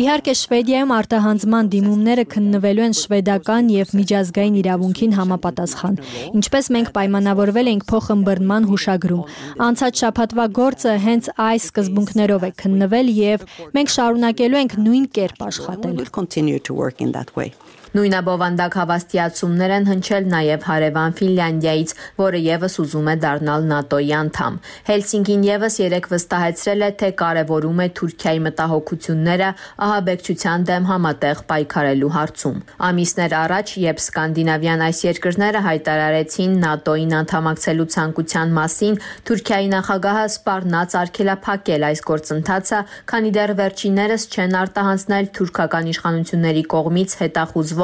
Իհարկե Շվեդիայում արտահանձնման դիմումները քննվելու են շվեդական եւ միջազգային իրավունքին համապատասխան, ինչպես մենք պայմանավորվել ենք փոխըմբռնման հուշագրում։ Անցած շաբաթվա գործը հենց այս սկզբունքներով է քննվել եւ մենք շարունակելու ենք նույն կերպ աշխատել։ Նույնաբովանդակ հավաստիացումներ են հնչել նաև հարևան Ֆինլանդիայից, որը եւս ուզում է դառնալ ՆԱՏՕ-ի անդամ։ Հելսինկին եւս երեկ վստահեցրել է, թե կարևորում է Թուրքիայի մտահոգությունները ահաբեկչության դեմ համատեղ պայքարելու հարցում։ Ամիսներ առաջ, երբ սկանդինավյան այս երկրները հայտարարեցին ՆԱՏՕ-ին անդամակցելու ցանկության մասին, Թուրքիայի նախագահը սպառնաց արգելափակել այս գործընթացը, քանի դեռ վերջիններս չեն արտահանձնել թուրքական իշխանությունների կողմից հետախուզվող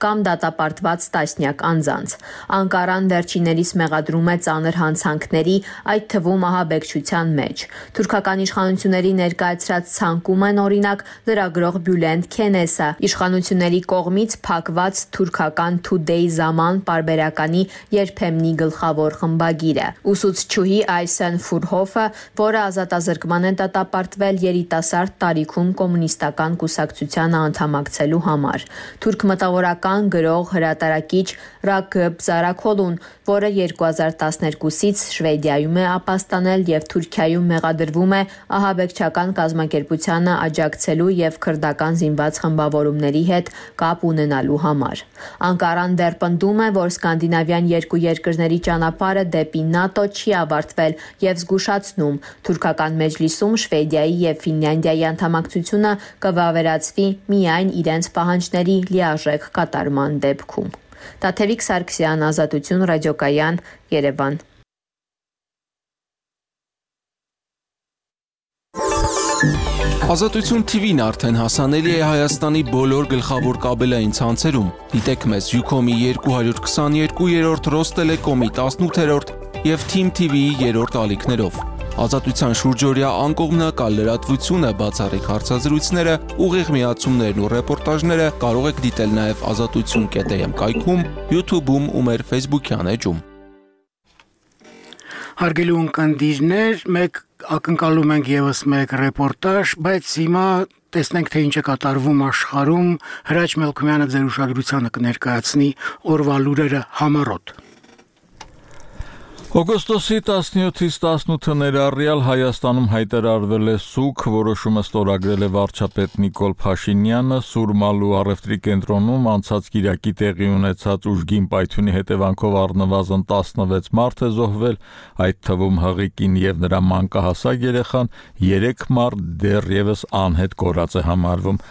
կամ դատապարտված տասնյակ անձանց։ Անկարան վերջիներիս մեղադրում է ծանր հանցանքների, այդ թվում ահաբեկչության մեջ։ Թուրքական իշխանությունների ներկայացրած ցանկում են օրինակ լրագրող Բյուլենդ Քենեսը, իշխանությունների կողմից փակված թուրքական Today Zaman պարբերականի երբեմնի գլխավոր խմբագիրը։ Ուսուցչուհի Այսեն Ֆուրհոֆը, որը ազատազրկման է դատապարտվել երիտասարդ տարիքում կոմունիստական կուսակցությանը անդամակցելու համար։ Թուրք գաղթատավորական գրող հրատարակիչ Ռակıb Զարաքոլուն, որը 2012-ից Շվեդիայում է ապաստանել եւ Թուրքիայում մեղադրվում է ահաբեկչական կազմակերպությանը աջակցելու եւ քրդական զինված խմբավորումների հետ կապ ունենալու համար։ Անկարան դեռ պնդում է, որ սկանդինավյան երկու երկրների ճանապարհը դեպի ՆԱՏՕ չի ավարտվել եւ զգուշացնում թուրքական մեջլիսում Շվեդիայի եւ Ֆինլանդիայի անդամակցությունը կվավերացվի միայն իրենց պահանջների լիարժեք կատարման դեպքում։ Տաթևիկ Սարգսյան, Ազատություն, Ռադիոկայան, Երևան։ Ազատություն TV-ն արդեն հասանելի է Հայաստանի բոլոր գլխավոր կաբելային ցանցերում։ Դիտեք մեզ Ucom-ի 222-րդ, Ռոստելեկոմի 18-րդ եւ Team TV-ի 3-րդ ալիքներով։ Ազատության շուրջօրյա անկողմնակալ լրատվությունը, բացառիկ հարցազրույցները, ուղիղ միացումներն ու ռեպորտաժները կարող եք դիտել նաև azatutsun.am կայքում, YouTube-ում ու մեր Facebook-յան էջում։ Հարգելի ունկնդիրներ, մեկ ակնկալում ենք եւս մեկ ռեպորտաժ, բայց հիմա տեսնենք թե ինչ է կատարվում աշխարհում։ Հրաչ Մելքոմյանը ձեր ուշադրությանը կներկայացնի օրվա լուրերը համառոտ։ Օգոստոսի 17-ից 18-ը ներառյալ Հայաստանում հայտարարվել է սուգ, որոշումը ստորագրել է վարչապետ Նիկոլ Փաշինյանը, Սուրմալու առևտրի կենտրոնում անցած կիրակի տեղի ունեցած ուժգին պայթյունի հետևանքով առնվազն 16 մարդ է զոհվել, այդ թվում հղիկին եւ նրա մանկահասակ երեխան, 3 մարդ դեռևս անհետ կորած է համարվում։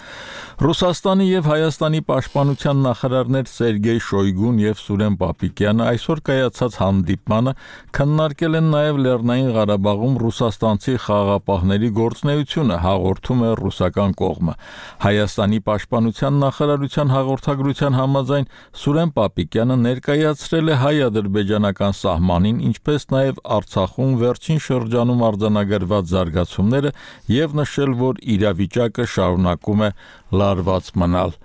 Ռուսաստանի եւ Հայաստանի պաշտպանության նախարարներ Սերգեյ Շոյգուն եւ Սուրեն Պապիկյանը այսօր կայացած հանդիպմանը քննարկել են նաեւ Լեռնային Ղարաբաղում ռուսաստանցի խաղաղապահների գործունեությունը, հաղորդում է ռուսական կողմը։ Հայաստանի պաշտպանության նախարարության հաղորդագրության համաձայն Սուրեն Պապիկյանը ներկայացրել է հայ-ադրբեջանական սահմանին, ինչպես նաեւ Արցախում վերջին շրջանում արձանագրված զարգացումները եւ նշել, որ իրավիճակը շարունակում է լարված մնալ։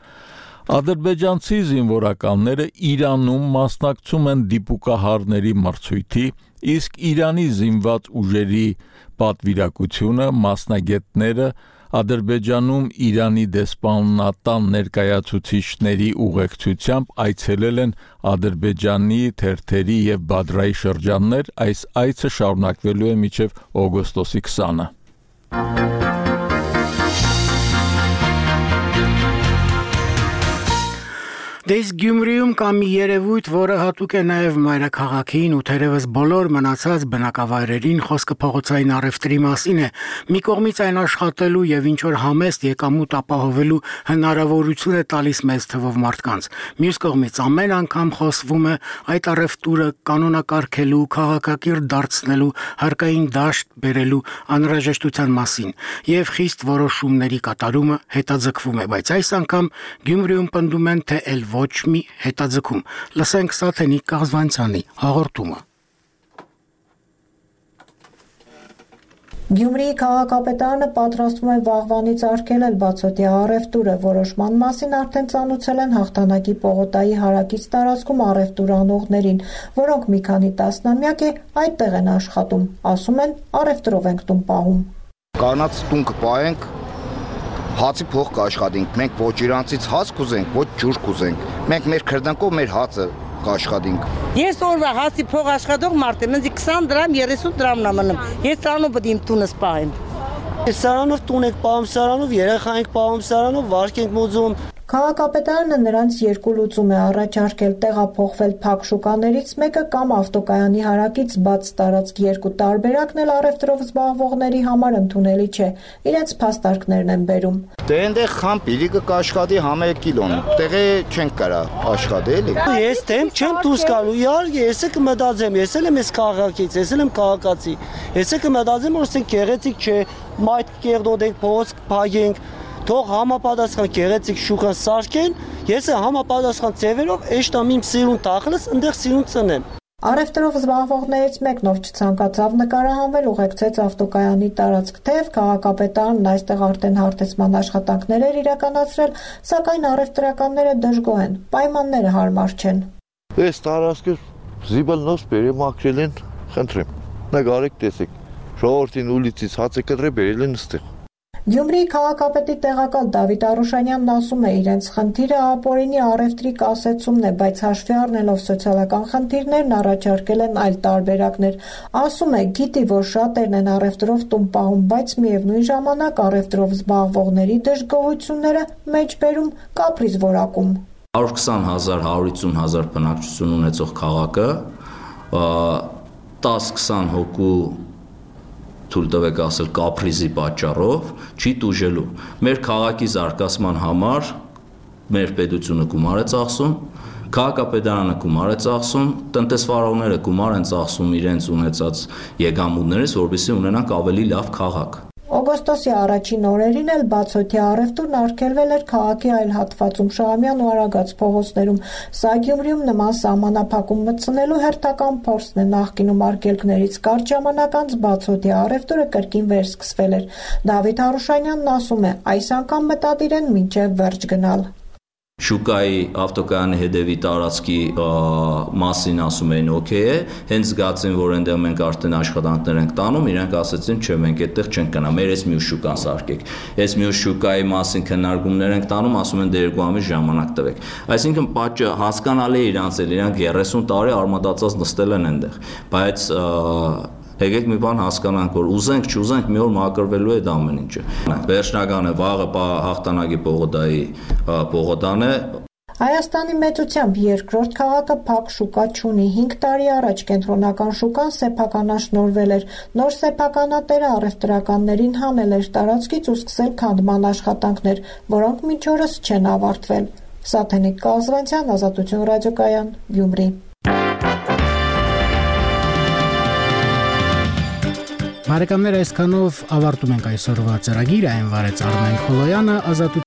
Ադրբեջանցի զինվորականները Իրանում մասնակցում են դիպուկահարների մրցույթի, իսկ Իրանի զինված ուժերի պատվիրակությունը մասնագետները Ադրբեջանում Իրանի դեսպանատան ներկայացուցիչների ուղեկցությամբ այցելել են Ադրբեջանի թերթերի եւ Բադրայի շրջաններ, այս այցը շարունակվելու է մինչեւ օգոստոսի 20-ը։ Դες Գյումրիում կա մի երևույթ, որը հատուկ է նաև մայրաքաղաքին ու թերևս բոլոր մնացած բնակավայրերին, խոսքը փողոցային առևտրի մասին է։ Մի կողմից այն աշխատելու եւ ինչ որ համեստ եկամուտ ապահովելու հնարավորություն է տալիս մեծ թվով մարդկանց։ Մյուս կողմից ամեն անգամ խոսվում է այդ առևտուրը կանոնակարգելու, քաղաքակիրթ դարձնելու, հարկային դաշտ բերելու անհրաժեշտության մասին եւ խիստ որոշումների կատարումը հետաձգվում է, բայց այս անգամ Գյումրիում պնդում են, թե ոչ մի հետաձգում։ Լսենք Սաթենիկ Կազվանցյանի հաղորդումը։ Գյումրիի քաղաքապետարանը պատրաստվում է վաղվանից արգելել բացօթյա առևտուրը, որոշման մասին արդեն ծանուցել են Հաղթանակի պողոտայի հարակից տարածքում առևտուր անողներին, որոնք մի քանի տասնամյակ է այդտեղ են աշխատում, ասում են առևտրով ենք տուն պահում։ Կանաց տուն կպահենք, հացի փող կաշխատենք, մենք ոչ իրանցից հաց կուզենք, ոչ ջուր կուզենք, մենք մեր քրդանքով մեր հացը կաշխատենք։ Ես օրվա հացի փող աշխատող մարդ եմ, ինձ 20 դրամ, 30 դրամն եմ մնում, ես սրանով պետք է իմ տունս պահեմ։ Սարանով տուն ենք պահում, սարանով երեխա ենք պահում, սարանով վարկ ենք մոծում։ Քաղաքապետարանը նրանց երկու լուծում է առաջարկել՝ տեղափոխվել փակ շուկաներից մեկը կամ ավտոկայանի հարակից բաց տարածք, երկու տարբերակն էլ առևտրով զբաղվողների համար ընդունելի չէ, իրենց փաստարկներն են բերում։ Դե այնտեղ խամ պիրիկը կաշխատի համերը կիլոն, տեղը չենք կարա աշխատել։ Ես դեմ չեմ դուրս գալու, իհարկե, ես կմտածեմ, ես էլ եմ այս քաղաքից, ես էլ եմ քաղաքացի։ Ես կմտածեմ, որ ասենք գեղեցիկ չէ, մայթ կերդոդենք, փոս փագենք, թող համապատասխան գեղեցիկ շուկան սարքեն, ես համապատասխան ձևերով էշտամ իմ սիրուն տախլս ընդեղ սիրուն ծնեմ։ Առևտրով զբաղվողներից մեկն ով չցանկացավ նկարահանվել, ուղեկցեց ավտոկայանի տարածք, թեև քաղաքապետարանն այստեղ արդեն հարթեցման աշխատանքներ էր իրականացրել, սակայն առևտրականները դժգոհ են, պայմանները հարմար չեն։ Այս տարածքը զիբլնոց բերեմակրել են, խնդրեմ, նկարեք տեսեք, ժողովրդին ուլիցից հաց է կտրել բերել են այստեղ։ Գյումրիի քաղաքապետի տեղակալ Դավիթ Արուշանյանն ասում է, իրենց խնդիրը ապօրինի առևտրի կասեցումն է, բայց հաշվի առնելով սոցիալական խնդիրներն առաջարկել են այլ տարբերակներ։ Ասում է, գիտի, որ շատերն են առևտրով տուն պահում, բայց միևնույն ժամանակ առևտրով զբաղվողների դժգոհությունները մեջբերում կապրիզ որակում։ 120,000-150,000 բնակչություն ունեցող քաղաքը 10-20 հոգու թույլ տվեք ասել կապրիզի պատճառով չի տուժելու։ Մեր քաղաքի զարգացման համար մեր պետությունը գումար է ծախսում, քաղաքապետարանը գումար է ծախսում, տնտեսվարողները գումար են ծախսում իրենց ունեցած եկամուտներից, որպեսզի ունենանք ավելի լավ քաղաք։ Օգոստոսի առաջին օրերին էլ բացօթյա առևտուրն արգելվել էր քաղաքի այլ հատվածում Շահումյան ու Արագած փողոցներում։ Սա Գյումրիում նման սահմանափակում մտցնելու հերթական փորձն է։ Նախկինում արգելքներից կարճ ժամանակ անց բացօթյա առևտուրը կրկին վերսկսվել էր։ Դավիթ Արուշանյանն ասում է, այս անգամ մտադիր են մինչև վերջ գնալ։ Շուկայի ավտոկայանի հետևի տարածքի մասին ասում էին օքեյ է, հենց զգացին, որ այնտեղ մենք արդեն աշխատանքներ ենք տանում, իրենք ասեցին, չէ, մենք այդտեղ չենք գնա, մեր այս մյուս շուկան սարքեք։ Այս մյուս շուկայի մասին քննարկումներ ենք տանում, ասում են դե 2 ամիս ժամանակ տվեք։ Այսինքն պատճը հասկանալի է իրանց էլ, իրանք 30 տարի արմատացած նստել են այնտեղ, բայց եկեք մի բան հասկանանք, որ ուզենք, չուզենք, մի օր մաքրվելու է դա ամեն ինչը։ Վերջնական է, վաղը հաղթանակի Պողոտայի Պողոտան է։ Հայաստանի մեծությամբ երկրորդ քաղաքը փակ շուկա չունի։ 5 տարի առաջ կենտրոնական շուկան սեփականաշնորհվել էր։ Նոր սեփականատերը առևտրականներին հանել էր տարածքից ու սկսել քանդման աշխատանքներ, որոնք մինչ օրս չեն ավարտվել։ Սաթենիկ Կազվանցյան, Ազատություն ռադիոկայան, Գյումրի։ Բարեկամներ, այսքանով ավարտում ենք այսօրվա ծրագիրը, այն վարեց Արմեն Խոլոյանը, Ազատություն